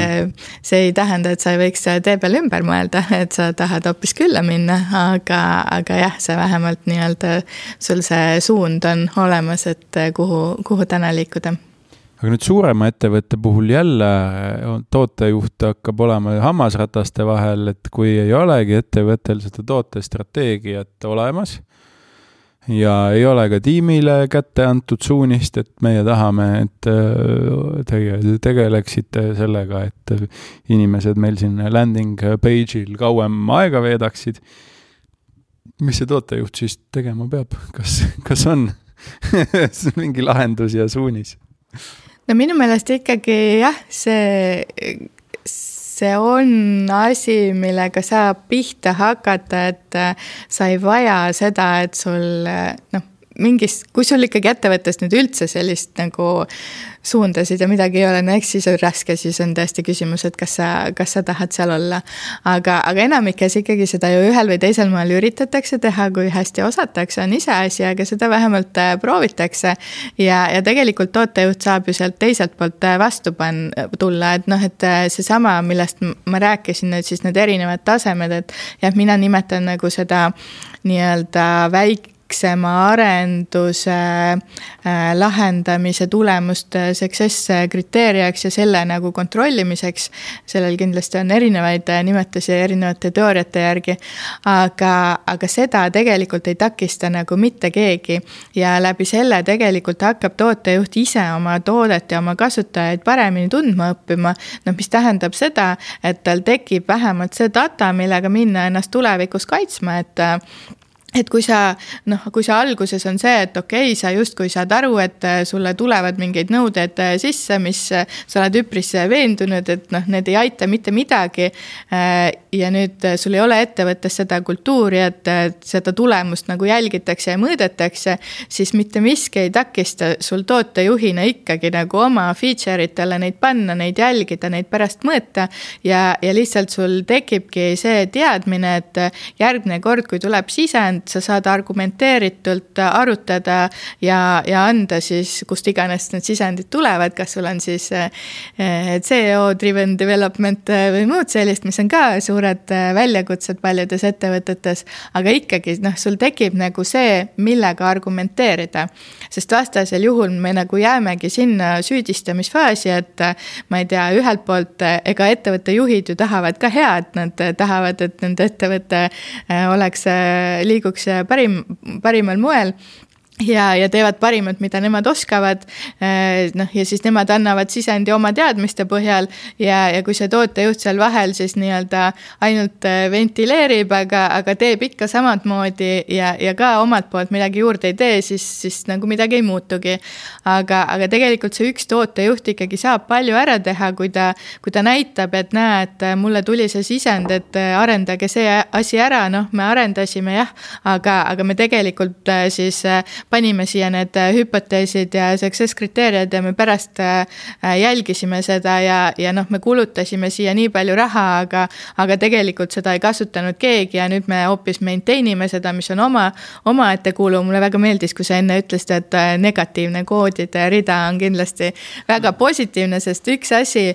Speaker 1: see ei tähenda, et sa ei võiks tee peal ümber mõelda, et sa tahad hoopis külla minna, aga, aga jah, see vähemalt nii-öelda sul see suund on olemas, et kuhu, kuhu täna liikuda.
Speaker 2: aga nüüd suurema ettevõtte puhul jälle tootejuht hakkab olema hammasrataste vahel, et kui ei olegi ettevõttel seda tootestrateegiat olemas ja ei ole ka tiimile kätte antud suunist, et meie tahame, et tege, tegeleksite sellega, et inimesed meil siin landing page'il kauem aega veedaksid, mis see tootejuht siis tegema peab? Kas, kas on mingi lahendus ja suunis?
Speaker 1: No minu meelest ikkagi jah, see, see on asi, millega saab pihta hakata, et sa ei vaja seda, et sul noh, mingis, kui sul ikkagi ettevõttes nüüd üldse sellist nagu suundasid ja midagi ei ole, no eks siis on raske, siis on tõesti küsimus, et kas sa, kas sa tahad seal olla. Aga, aga enamikes ikkagi seda ju ühel või teisel maal üritatakse teha, kui hästi osatakse, on ise asi, aga seda vähemalt proovitakse. Ja, ja tegelikult tootejuht saab ju sealt teiselt poolt vastu pan, tulla, et noh, et see sama, millest ma rääkisin, et siis need erinevad tasemed, et ja mina nimetan nagu seda nii-öelda väik, väiksema arenduse äh, lahendamise tulemust success kriteeriaks ja selle nagu kontrollimiseks. Sellel kindlasti on erinevaid nimetusi erinevate teooriate järgi, aga, aga seda tegelikult ei takista nagu mitte keegi ja läbi selle tegelikult hakkab tootejuht ise oma toodet ja oma kasutajaid paremini tundma õppima, no mis tähendab seda, et tal tekib vähemalt see data, millega minna ennast tulevikus kaitsma, et Et kui sa, noh, kui sa alguses on see, et okei, okay, sa justkui saad aru, et sulle tulevad mingeid nõuded sisse, mis sa oled üpris veendunud, et noh, need ei aita mitte midagi ja nüüd sul ei ole ettevõttes seda kultuuri, et seda tulemust nagu jälgitakse ja mõõdetakse, siis mitte miski ei takista sul tootejuhina ikkagi nagu oma feature'itele neid panna, neid jälgida, neid pärast mõõta ja, ja lihtsalt sul tekibki see teadmine, et järgmine kord, kui tuleb sisend, sa saad argumenteeritult arutada ja, ja anda siis, kust iganes need sisendid tulevad, kas sul on siis C E O-driven development või muud sellist, mis on ka suured väljakutsed paljudes ettevõtetes, aga ikkagi noh, sul tekib nagu see, millega argumenteerida, sest vastasel juhul me nagu jäämegi sinna süüdistamisfaasi, et ma ei tea, ühelt poolt ega ettevõtte juhid ju tahavad ka head, nad tahavad, et nende ettevõte oleks liigu parim, parimal moel ja, ja teevad parimat, mida nemad oskavad, noh, ja siis nemad annavad sisendi oma teadmiste põhjal ja, ja kui see tootejuht seal vahel siis nii-öelda ainult ventileerib, aga, aga teeb ikka samad moodi ja, ja ka omalt poolt midagi juurde ei tee, siis, siis nagu midagi ei muutugi. Aga, aga tegelikult see üks tootejuht ikkagi saab palju ära teha, kui ta, kui ta näitab, et näe, et mulle tuli see sisend, et arendage see asi ära, noh, me arendasime jah, aga, aga me tegelikult siis panime siia need hüpoteesid ja success kriteeriad ja me pärast jälgisime seda ja, ja noh, me kulutasime siia nii palju raha, aga, aga tegelikult seda ei kasutanud keegi ja nüüd me hoopis maintainime seda, mis on oma, oma ettekulu. Mulle väga meeldis, kui sa enne ütlesid, et negatiivne koodide rida on kindlasti väga positiivne, sest üks asi,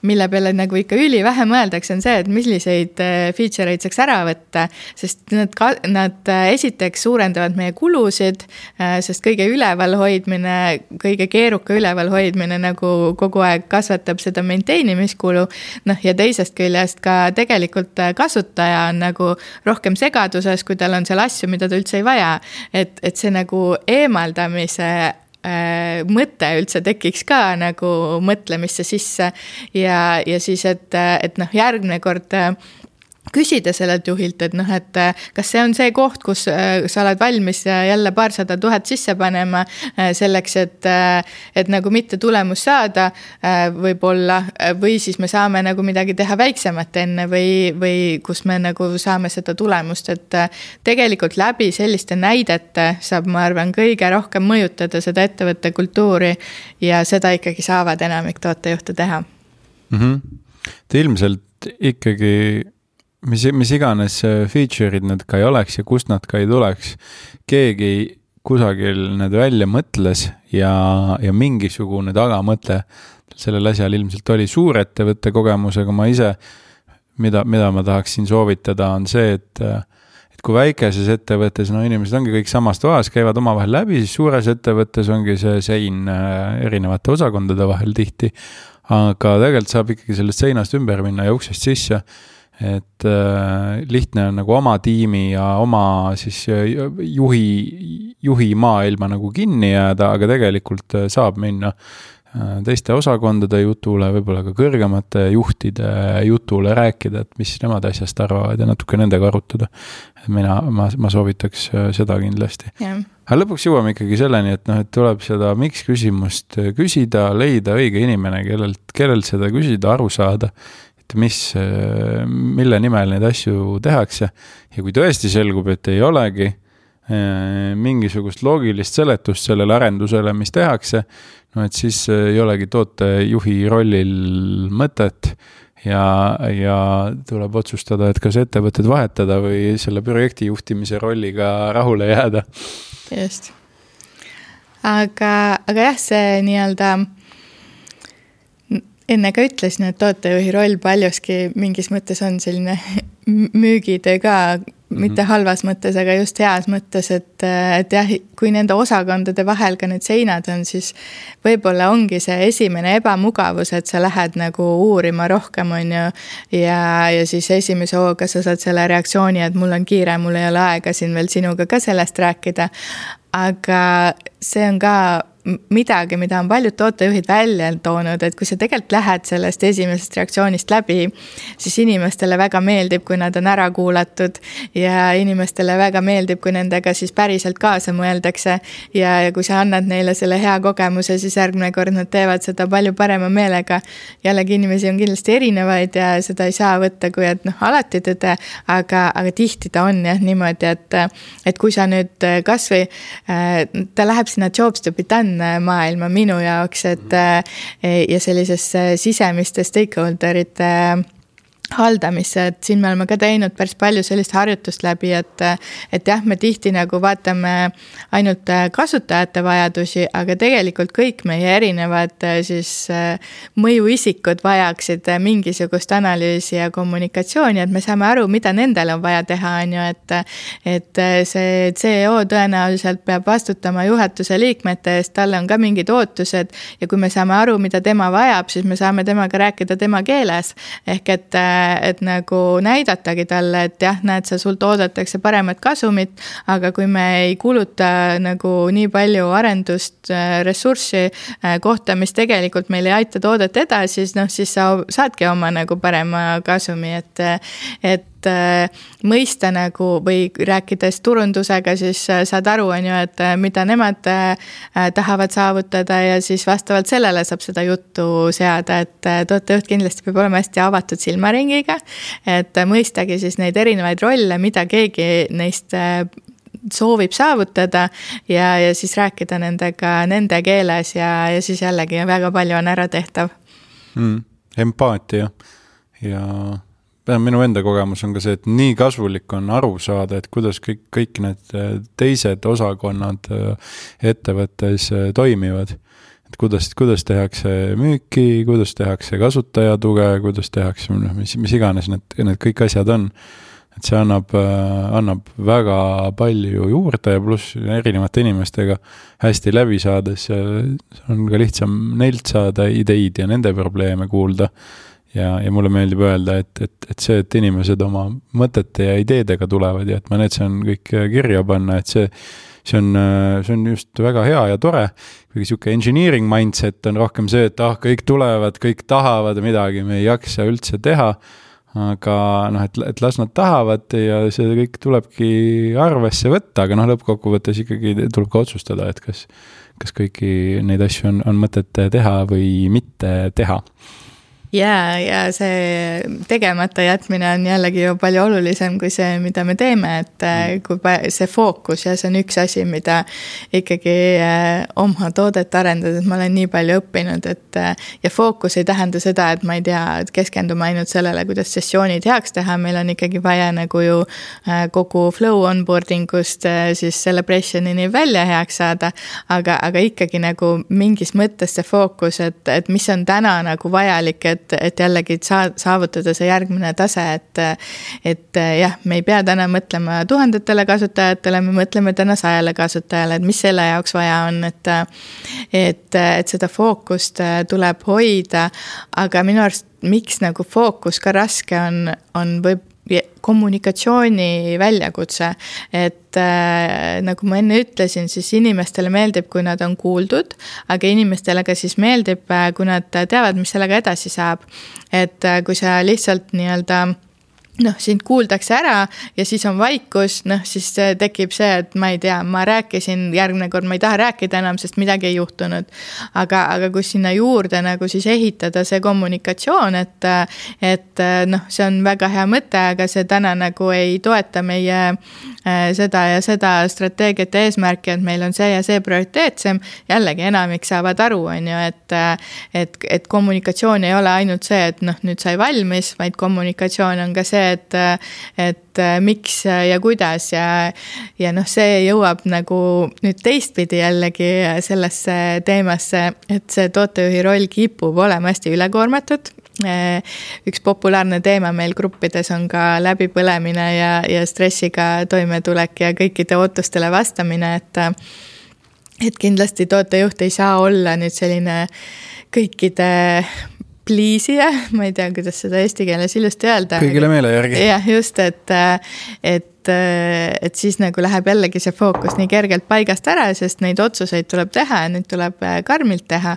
Speaker 1: mille peale nagu ikka üli vähe mõeldakse, on see, et milliseid feature'id saaks ära võtta, sest nad, nad esiteks suurendavad meie kulusid, sest kõige üleval hoidmine, kõige keeruka üleval hoidmine nagu kogu aeg kasvatab seda maintainimiskulu, noh ja teisest küljest ka tegelikult kasutaja on nagu rohkem segaduses, kui tal on seal asju, mida ta üldse ei vaja, et, et see nagu eemaldamise mõte üldse tekiks ka nagu mõtlemisse sisse ja, ja siis, et, et noh, järgmine kord küsida sellelt juhilt, et noh, et kas see on see koht, kus sa oled valmis jälle paarsada tuhat sisse panema selleks, et, et nagu mitte tulemus saada võib-olla, või siis me saame nagu midagi teha väiksemat enne või, või kus me nagu saame seda tulemust, et tegelikult läbi selliste näidete saab, ma arvan, kõige rohkem mõjutada seda ettevõtte kultuuri ja seda ikkagi saavad enamik tootejuhte teha.
Speaker 2: Mm-hmm. Te ilmselt ikkagi mis, mis iganes feature'id need ka ei oleks ja kust nad ka ei tuleks, keegi kusagil need välja mõtles ja, ja mingisugune tagamõtle sellel asjal ilmselt oli suurettevõtte kogemusega. Ma ise, mida, mida ma tahaksin soovitada, on see, et, et kui väikeses ettevõttes, no inimesed ongi kõik samast toas, käivad omavahel läbi, siis suures ettevõttes ongi see sein erinevate osakondade vahel tihti, aga tegelikult saab ikkagi sellest seinast ümber minna ja uksest sisse, et äh, lihtne on nagu oma tiimi ja oma siis juhi, juhi maailma nagu kinni jääda, aga tegelikult saab minna teiste osakondade jutule, võib-olla ka kõrgemate juhtide jutule rääkida, et mis nemad asjast arvavad ja natuke nendega arutada. Mina, ma, ma soovitaks seda kindlasti. Yeah. Aga lõpuks jõuame ikkagi selleni, et, noh, et tuleb seda miks küsimust küsida, leida õige inimene, kellelt, kellelt seda küsida, aru saada, et mis, mille nimel neid asju tehakse. Ja kui tõesti selgub, et ei olegi mingisugust loogilist seletust sellele arendusele, mis tehakse, no et siis ei olegi tootejuhi rollil mõtet ja, ja tuleb otsustada, et kas ettevõtted vahetada või selle projekti juhtimise rolliga rahule jääda.
Speaker 1: Just. Aga, aga jah, see nii-öelda enne ka ütlesin, et tootejuhi roll paljuski mingis mõttes on selline müügitöö ka, mitte halvas mõttes, aga just heas mõttes, et, et jah, kui nende osakondade vahel ka need seinad on, siis võib-olla ongi see esimene ebamugavus, et sa lähed nagu uurima rohkem, on ju, ja, ja siis esimese hooga sa saad selle reaktsiooni, et mul on kiire, mul ei ole aega siin veel sinuga ka sellest rääkida, aga see on ka midagi, mida on paljud tootejuhid välja toonud, et kui sa tegelikult lähed sellest esimesest reaktsioonist läbi, siis inimestele väga meeldib, kui nad on ära kuulatud ja inimestele väga meeldib, kui nendega siis päriselt kaasa mõeldakse ja, ja kui sa annad neile selle hea kogemuse, siis järgmine kord nad teevad seda palju parema meelega. Jällegi inimesi on kindlasti erinevaid ja seda ei saa võtta, kui et noh, alati tõde, aga, aga tihti ta on jah niimoodi, et, et kui sa nüüd kas või ta läheb sinna jobs to be done maailma minu jaoks, et ja sellisesse sisemiste stakeholderite haldamisse, et siin me oleme ka teinud päris palju sellist harjutust läbi, et, et jah, me tihti nagu vaatame ainult kasutajate vajadusi, aga tegelikult kõik meie erinevad siis mõjuisikud vajaksid mingisugust analüüsi ja kommunikatsiooni, et me saame aru, mida nendel on vaja teha, on ju, et, et see C E O tõenäoliselt peab vastutama juhatuse liikmete eest, talle on ka mingid ootused ja kui me saame aru, mida tema vajab, siis me saame temaga rääkida tema keeles, ehk et et nagu näidatagi talle, et jah, näed sa, sult oodatakse paremat kasumit, aga kui me ei kuluta nagu nii palju arendust, ressurssi kohta, mis tegelikult meil ei aita toodet edasi, siis noh, siis sa saadki oma nagu parema kasumi, et, et mõista nagu või rääkides turundusega, siis saad aru, on ju, et mida nemad tahavad saavutada ja siis vastavalt sellele saab seda juttu seada, et tootejuht kindlasti peab olema hästi avatud silmaringiga, et mõistagi siis neid erinevaid rolle, mida keegi neist soovib saavutada ja, ja siis rääkida nendega nende keeles ja, ja siis jällegi väga palju on ära tehtav.
Speaker 2: Mm, empaatia ja minu enda kogemus on ka see, et nii kasulik on aru saada, et kuidas kõik, kõik need teised osakonnad ettevõttes toimivad. Et kuidas, kuidas tehakse müüki, kuidas tehakse kasutajatuge, kuidas tehakse, mis, mis iganes need, need kõik asjad on. Et see annab, annab väga palju juurde ja pluss erinevate inimestega hästi läbi saades on ka lihtsam neilt saada ideid ja nende probleeme kuulda. Ja, ja mulle meeldib öelda, et, et, et see, et inimesed oma mõtete ja ideedega tulevad ja et ma need saan kõik kirja panna, et see, see, on, see on just väga hea ja tore. Kuigi siuke engineering mindset on rohkem see, et ah, kõik tulevad, kõik tahavad midagi, me ei jaksa üldse teha, aga noh, et, et las nad tahavad ja see kõik tulebki arvesse võtta, aga noh, lõppkokkuvõttes ikkagi tuleb ka otsustada, et kas, kas kõiki neid asju on, on mõtet teha või mitte teha.
Speaker 1: Ja, ja see tegemata jätmine on jällegi ju palju olulisem kui see, mida me teeme, et kui see fookus ja see on üks asi, mida ikkagi oma toodet arendades ma olen nii palju õppinud, et ja fookus ei tähenda seda, et ma ei tea, et keskendume ainult sellele, kuidas sessioonid heaks teha, meil on ikkagi vaja nagu ju kogu flow onboardingust siis celebrationini välja heaks saada, aga, aga ikkagi nagu mingis mõttes see fookus, et, et mis on täna nagu vajalik, et et, et jällegi saa, saavutada see järgmine tase, et, et jah, me ei pea täna mõtlema tuhandetele kasutajatele, me mõtleme täna sajale kasutajale, et mis selle jaoks vaja on, et, et, et seda fookust tuleb hoida, aga minu arust, miks nagu fookus ka raske on, on võib kommunikatsiooni väljakutse, et äh, nagu ma enne ütlesin, siis inimestele meeldib, kui nad on kuuldud, aga inimestele ka siis meeldib, kui nad teavad, mis sellega edasi saab. Et äh, kui sa lihtsalt nii-öelda noh, sind kuuldakse ära ja siis on vaikus, noh, siis tekib see, et ma ei tea, ma rääkisin järgmine kord, ma ei taha rääkida enam, sest midagi ei juhtunud. Aga, aga kui sinna juurde nagu siis ehitada see kommunikatsioon, et, et noh, see on väga hea mõte, aga see täna nagu ei toeta meie seda ja seda strateegiat ja eesmärki, et meil on see ja see prioriteetsem, jällegi enamik saavad aru, on ju, et, et, et kommunikatsioon ei ole ainult see, et noh, nüüd sai valmis, vaid kommunikatsioon on ka see, et, et miks ja kuidas ja, ja noh, see jõuab nagu nüüd teistpidi jällegi sellesse teemasse, et see tootejuhi roll kipub olema hästi ülekoormatud. Üks populaarne teema meil gruppides on ka läbipõlemine ja, ja stressiga toimetulek ja kõikide ootustele vastamine, et, et kindlasti tootejuht ei saa olla nüüd selline kõikide pliisija, ma ei tea, kuidas seda eesti keeles ilusti öelda.
Speaker 2: Kõigile meele järgi.
Speaker 1: Jah, just, et, et, et siis nagu läheb jällegi see fookus nii kergelt paigast ära, sest neid otsuseid tuleb teha ja neid tuleb karmilt teha.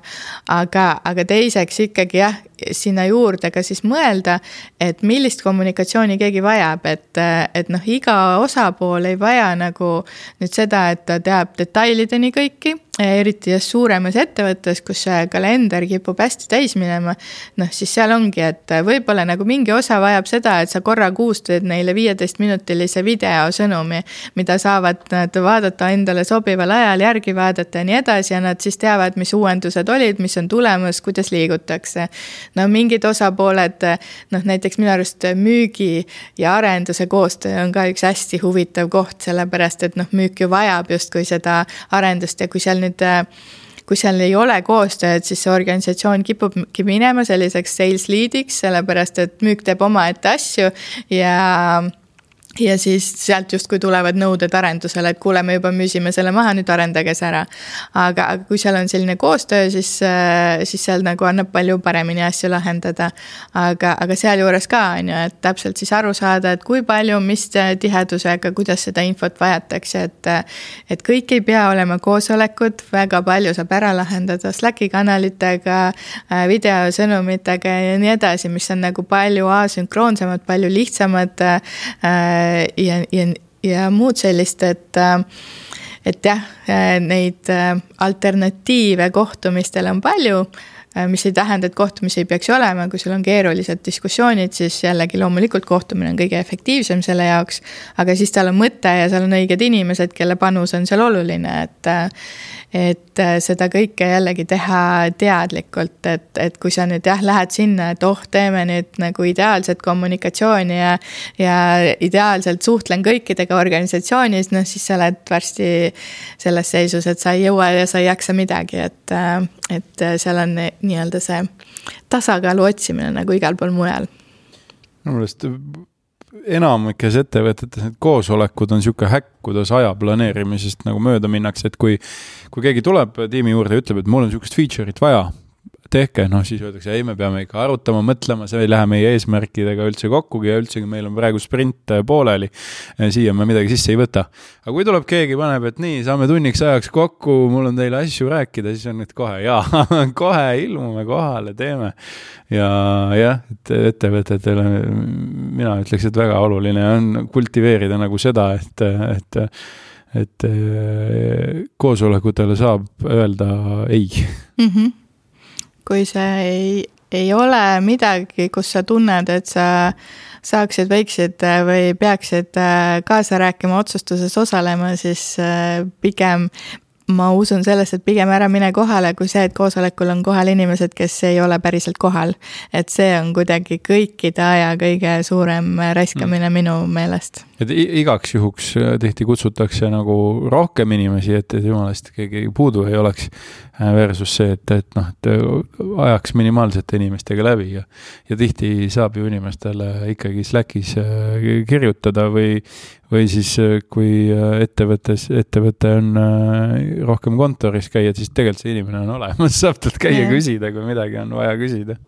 Speaker 1: Aga, aga teiseks ikkagi jah, sinna juurde ka siis mõelda, et millist kommunikatsiooni keegi vajab, et, et noh, iga osapool ei vaja nagu nüüd seda, et ta teab detailideni kõiki, eriti just suuremas ettevõttes, kus see kalender kipub hästi täis minema, noh siis seal ongi, et võib-olla nagu mingi osa vajab seda, et sa korra kuus teed neile viieteist minutilise videosõnumi, mida saavad nad vaadata endale sobival ajal, järgi vaadata ja nii edasi ja nad siis teavad, mis uuendused olid, mis on tulemas, kuidas liigutakse. No mingid osapooled, noh näiteks minu arust müügi ja arenduse koostöö on ka üks hästi huvitav koht, sellepärast et noh, müük ju vajab justkui seda arendust ja kui seal nüüd, kui seal ei ole koostööd, siis see organisatsioon kipubki minema selliseks sales leadiks, sellepärast et müük teeb oma ette asju ja ja siis sealt just kui tulevad nõuded arendusele, et kuule, me juba müüsime selle maha, nüüd arendage see ära. Aga, aga kui seal on selline koostöö, siis, siis seal nagu annab palju paremini asju lahendada. Aga, aga seal juures ka on ju, et täpselt siis aru saada, et kui palju, mis tihedusega, kuidas seda infot vajatakse, et, et kõik ei pea olema koosolekud, väga palju saab ära lahendada Slacki kanalitega, videosõnumitega ja nii edasi, mis on nagu palju asünkroonsemad, palju lihtsamad ja, ja, ja muud sellist, et, et jah, neid alternatiive kohtumistele on palju, mis ei tähenda, et kohtumisi ei peaks olema, kui sul on keerulised diskussioonid, siis jällegi loomulikult kohtumine on kõige efektiivsem selle jaoks, aga siis tal on mõte ja seal on õiged inimesed, kelle panus on seal oluline, et, et seda kõike jällegi teha teadlikult, et, et kui sa nüüd jah, lähed sinna, et oh, teeme nüüd nagu ideaalset kommunikatsiooni ja, ja ideaalselt suhtlen kõikidega organisatsioonis, noh siis sa oled varsti selles seisus, et sa ei jõua ja sa ei jaksa midagi, et, et seal on nii-öelda see tasakaalu otsimine nagu igal pool mujal.
Speaker 2: Minu meelest enamikes ettevõtetes need koosolekud on siuke häkk, kuidas aja planeerimisest nagu mööda minnakse, et kui, kui keegi tuleb tiimi juurde ja ütleb, et mul on siukest feature'it vaja, tehke, noh siis öeldakse, ei, me peame ikka arutama, mõtlema, see ei lähe meie eesmärkidega üldse kokkugi ja üldsegi meil on praegu sprint pooleli, siia me midagi sisse ei võta. Aga kui tuleb keegi, paneb, et nii, saame tunniks ajaks kokku, mul on teile asju rääkida, siis on nüüd kohe, jaa, kohe ilmume kohale, teeme. Ja jah, et ettevõtetele mina ütleks, et väga oluline on kultiveerida nagu seda, et, et, et koosolekutele saab öelda ei.
Speaker 1: Mhm. Kui see ei, ei ole midagi, kus sa tunned, et sa saaksid, võiksid või peaksid kaasa rääkima otsustuses osalema, siis pigem ma usun sellest, et pigem ära mine kohale, kui see, et koosolekul on kohal inimesed, kes ei ole päriselt kohal. Et see on kuidagi kõikide aja kõige suurem raiskamine mm. minu meelest.
Speaker 2: Et igaks juhuks tihti kutsutakse nagu rohkem inimesi, et jumalast keegi puudu ei oleks versus see, et, et noh, et ajaks minimaalsete inimestega läbi ja, ja tihti saab ju inimestele ikkagi Slackis kirjutada või, või siis kui ettevõttes, ettevõte on rohkem kontoris käia, siis tegelikult see inimene on olemas, saab talt käia yeah. küsida, kui midagi on vaja küsida.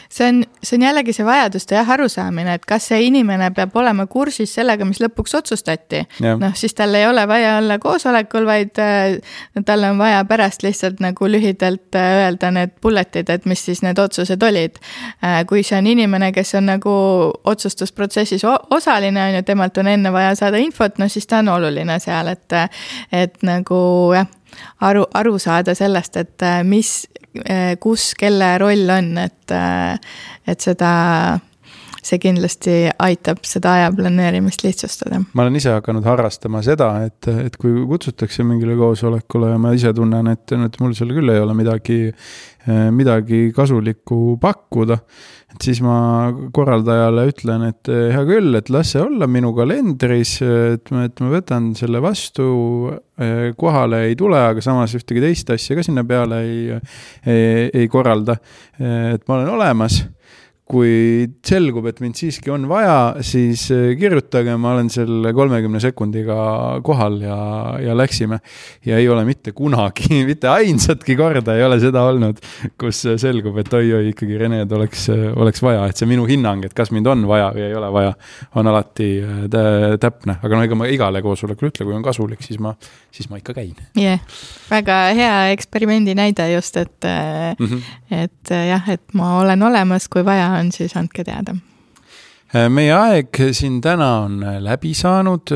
Speaker 1: See on, see on jällegi see vajaduste jah arusaamine, et kas see inimene peab olema kursis sellega, mis lõpuks otsustati. Yeah. Noh, siis tal ei ole vaja olla koosolekul, vaid äh, tal on vaja pärast lihtsalt nagu lühidalt äh, öelda need bulletid, et mis siis need otsused olid. Äh, kui see on inimene, kes on nagu otsustusprotsessis osaline, on ju, temalt on enne vaja saada infot, no siis ta on oluline seal, et, et nagu jah, aru, aru saada sellest, et mis, kus, kelle roll on, et, et seda, see kindlasti aitab seda aja planeerimist lihtsustada.
Speaker 2: Ma olen ise hakanud harrastama seda, et, et kui kutsutakse mingile koosolekule ja ma ise tunnen, et, et mul seal küll ei ole midagi, midagi kasulikku pakkuda, et siis ma korraldajale ütlen, et hea küll, et las see olla minu kalendris, et ma, et ma võtan selle vastu, kohale ei tule, aga samas ühtegi teist asja ka sinna peale ei, ei, ei korralda, et ma olen olemas. Kui selgub, et mind siiski on vaja, siis kirjutage, ma olen selle kolmekümne sekundiga kohal ja, ja läksime. Ja ei ole mitte kunagi, mitte ainsatki korda ei ole seda olnud, kus selgub, et oi-oi ikkagi Rened oleks, oleks vaja. Et see minu hinnang, et kas mind on vaja või ei ole vaja, on alati täpne. Aga no ega ma igale koosolekul ütle, kui on kasulik, siis ma, siis ma ikka käin.
Speaker 1: Yeah. Väga hea eksperimendi näide just, et, mm-hmm. et jah, et ma olen olemas, kui vaja on, siis andke teada.
Speaker 2: Meie aeg siin täna on läbi saanud.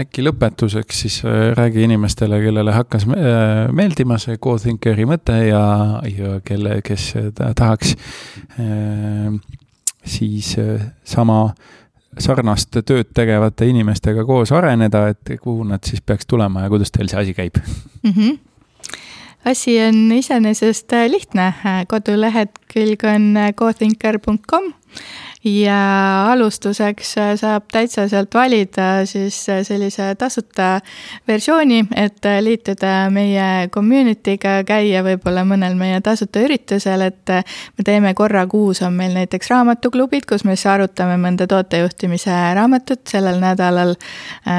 Speaker 2: Äkki lõpetuseks siis räägi inimestele, kellele hakkas meeldima see GoThinkeri mõte ja, ja kelle, kes tahaks siis sama sarnast tööd tegevate inimestega koos areneda, et kuhu nad siis peaks tulema ja kuidas teil see asi käib?
Speaker 1: Mhm. Asi on iseenesest lihtne. Kodulehed külg on gothinker punkt com ja alustuseks saab täitsa sealt valida siis sellise tasuta versiooni, et liituda meie community'ga, käia võib-olla mõnel meie tasuta üritusel, et me teeme korra kuus on meil näiteks raamatuklubid, kus me arutame mõnda tootejuhtimise raamatut. Sellel nädalal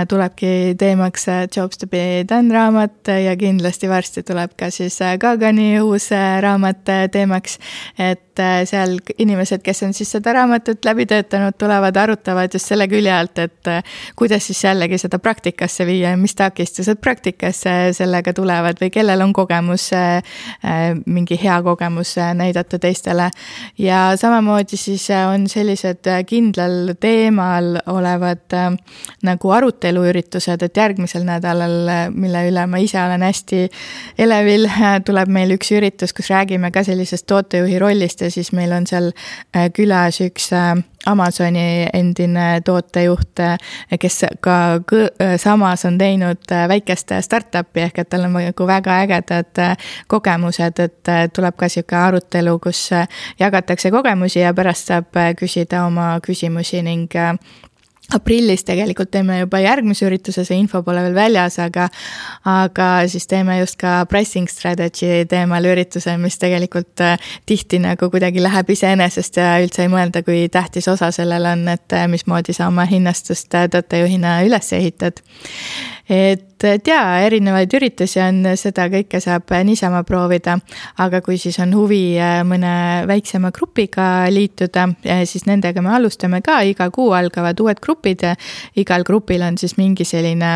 Speaker 1: tulebki teemaks Jobs to be done raamat ja kindlasti varsti tuleb ka siis Kagani uus raamat teemaks, et seal inimesed, kes on siis seda raamatut läbi töötanud, tulevad, arutavad just selle külje alt, et kuidas siis jällegi seda praktikasse viia, mis takistused praktikasse sellega tulevad või kellel on kogemus, mingi hea kogemus näidata teistele. Ja samamoodi siis on sellised kindlal teemal olevad nagu aruteluüritused, et järgmisel nädalal, mille üle ma ise olen hästi elevil, tuleb meil üks üritus, kus räägime ka sellisest tootejuhi rollist ja siis meil on seal külas üks Amazoni endine tootejuht, kes ka samas on teinud väikest startupi ehk et tal on väga ägedad kogemused, et tuleb ka siuke arutelu, kus jagatakse kogemusi ja pärast saab küsida oma küsimusi ning aprillis tegelikult teeme juba järgmise ürituse, see info pole veel väljas, aga, aga siis teeme just ka pricing strategy teemal ürituse, mis tegelikult tihti nagu kuidagi läheb iseenesest ja üldse ei mõelda, kui tähtis osa sellel on, et mismoodi sa oma hinnastust tootejuhina üles ehitad. Et tea, erinevaid üritusi on, seda kõike saab niisama proovida, aga kui siis on huvi mõne väiksema grupiga liituda, siis nendega me alustame ka, iga kuu algavad uued grupid ja igal grupil on siis mingi selline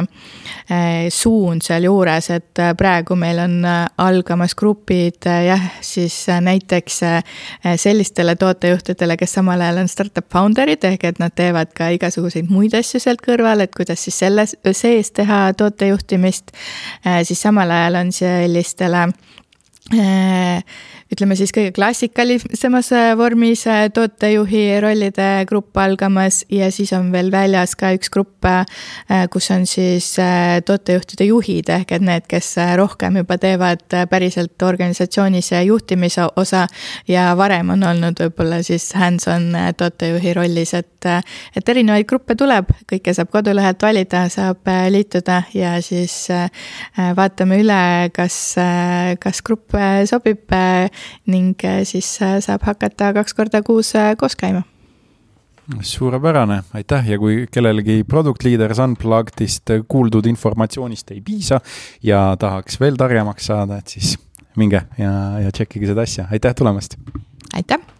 Speaker 1: suund seal juures, et praegu meil on algamas grupid, jah, siis näiteks sellistele tootejuhtidele, kes samal ajal on startup founderid, ehk et nad teevad ka igasuguseid muid asju sealt kõrval, et kuidas siis selle sees teha tootejuhtimist, siis samal ajal on sellistele ütleme siis kõige klassikalisemas vormis tootejuhi rollide grupp algamas ja siis on veel väljas ka üks grupp, kus on siis tootejuhtide juhid ehk et need, kes rohkem juba teevad päriselt organisatsioonis juhtimise osa ja varem on olnud võib-olla siis hands-on tootejuhi rollis, et, et erinevaid gruppe tuleb, kõike saab kodulehelt valida, saab liituda ja siis vaatame üle, kas, kas grupp sobib ning siis saab hakata kaks korda kuus koos käima.
Speaker 2: Suurepärane, aitäh ja kui kellelegi Product Leaders Unpluggedist kuuldud informatsioonist ei piisa ja tahaks veel targemaks saada, et siis minge ja, ja tšekkige seda asja. Aitäh tulemast!
Speaker 1: Aitäh!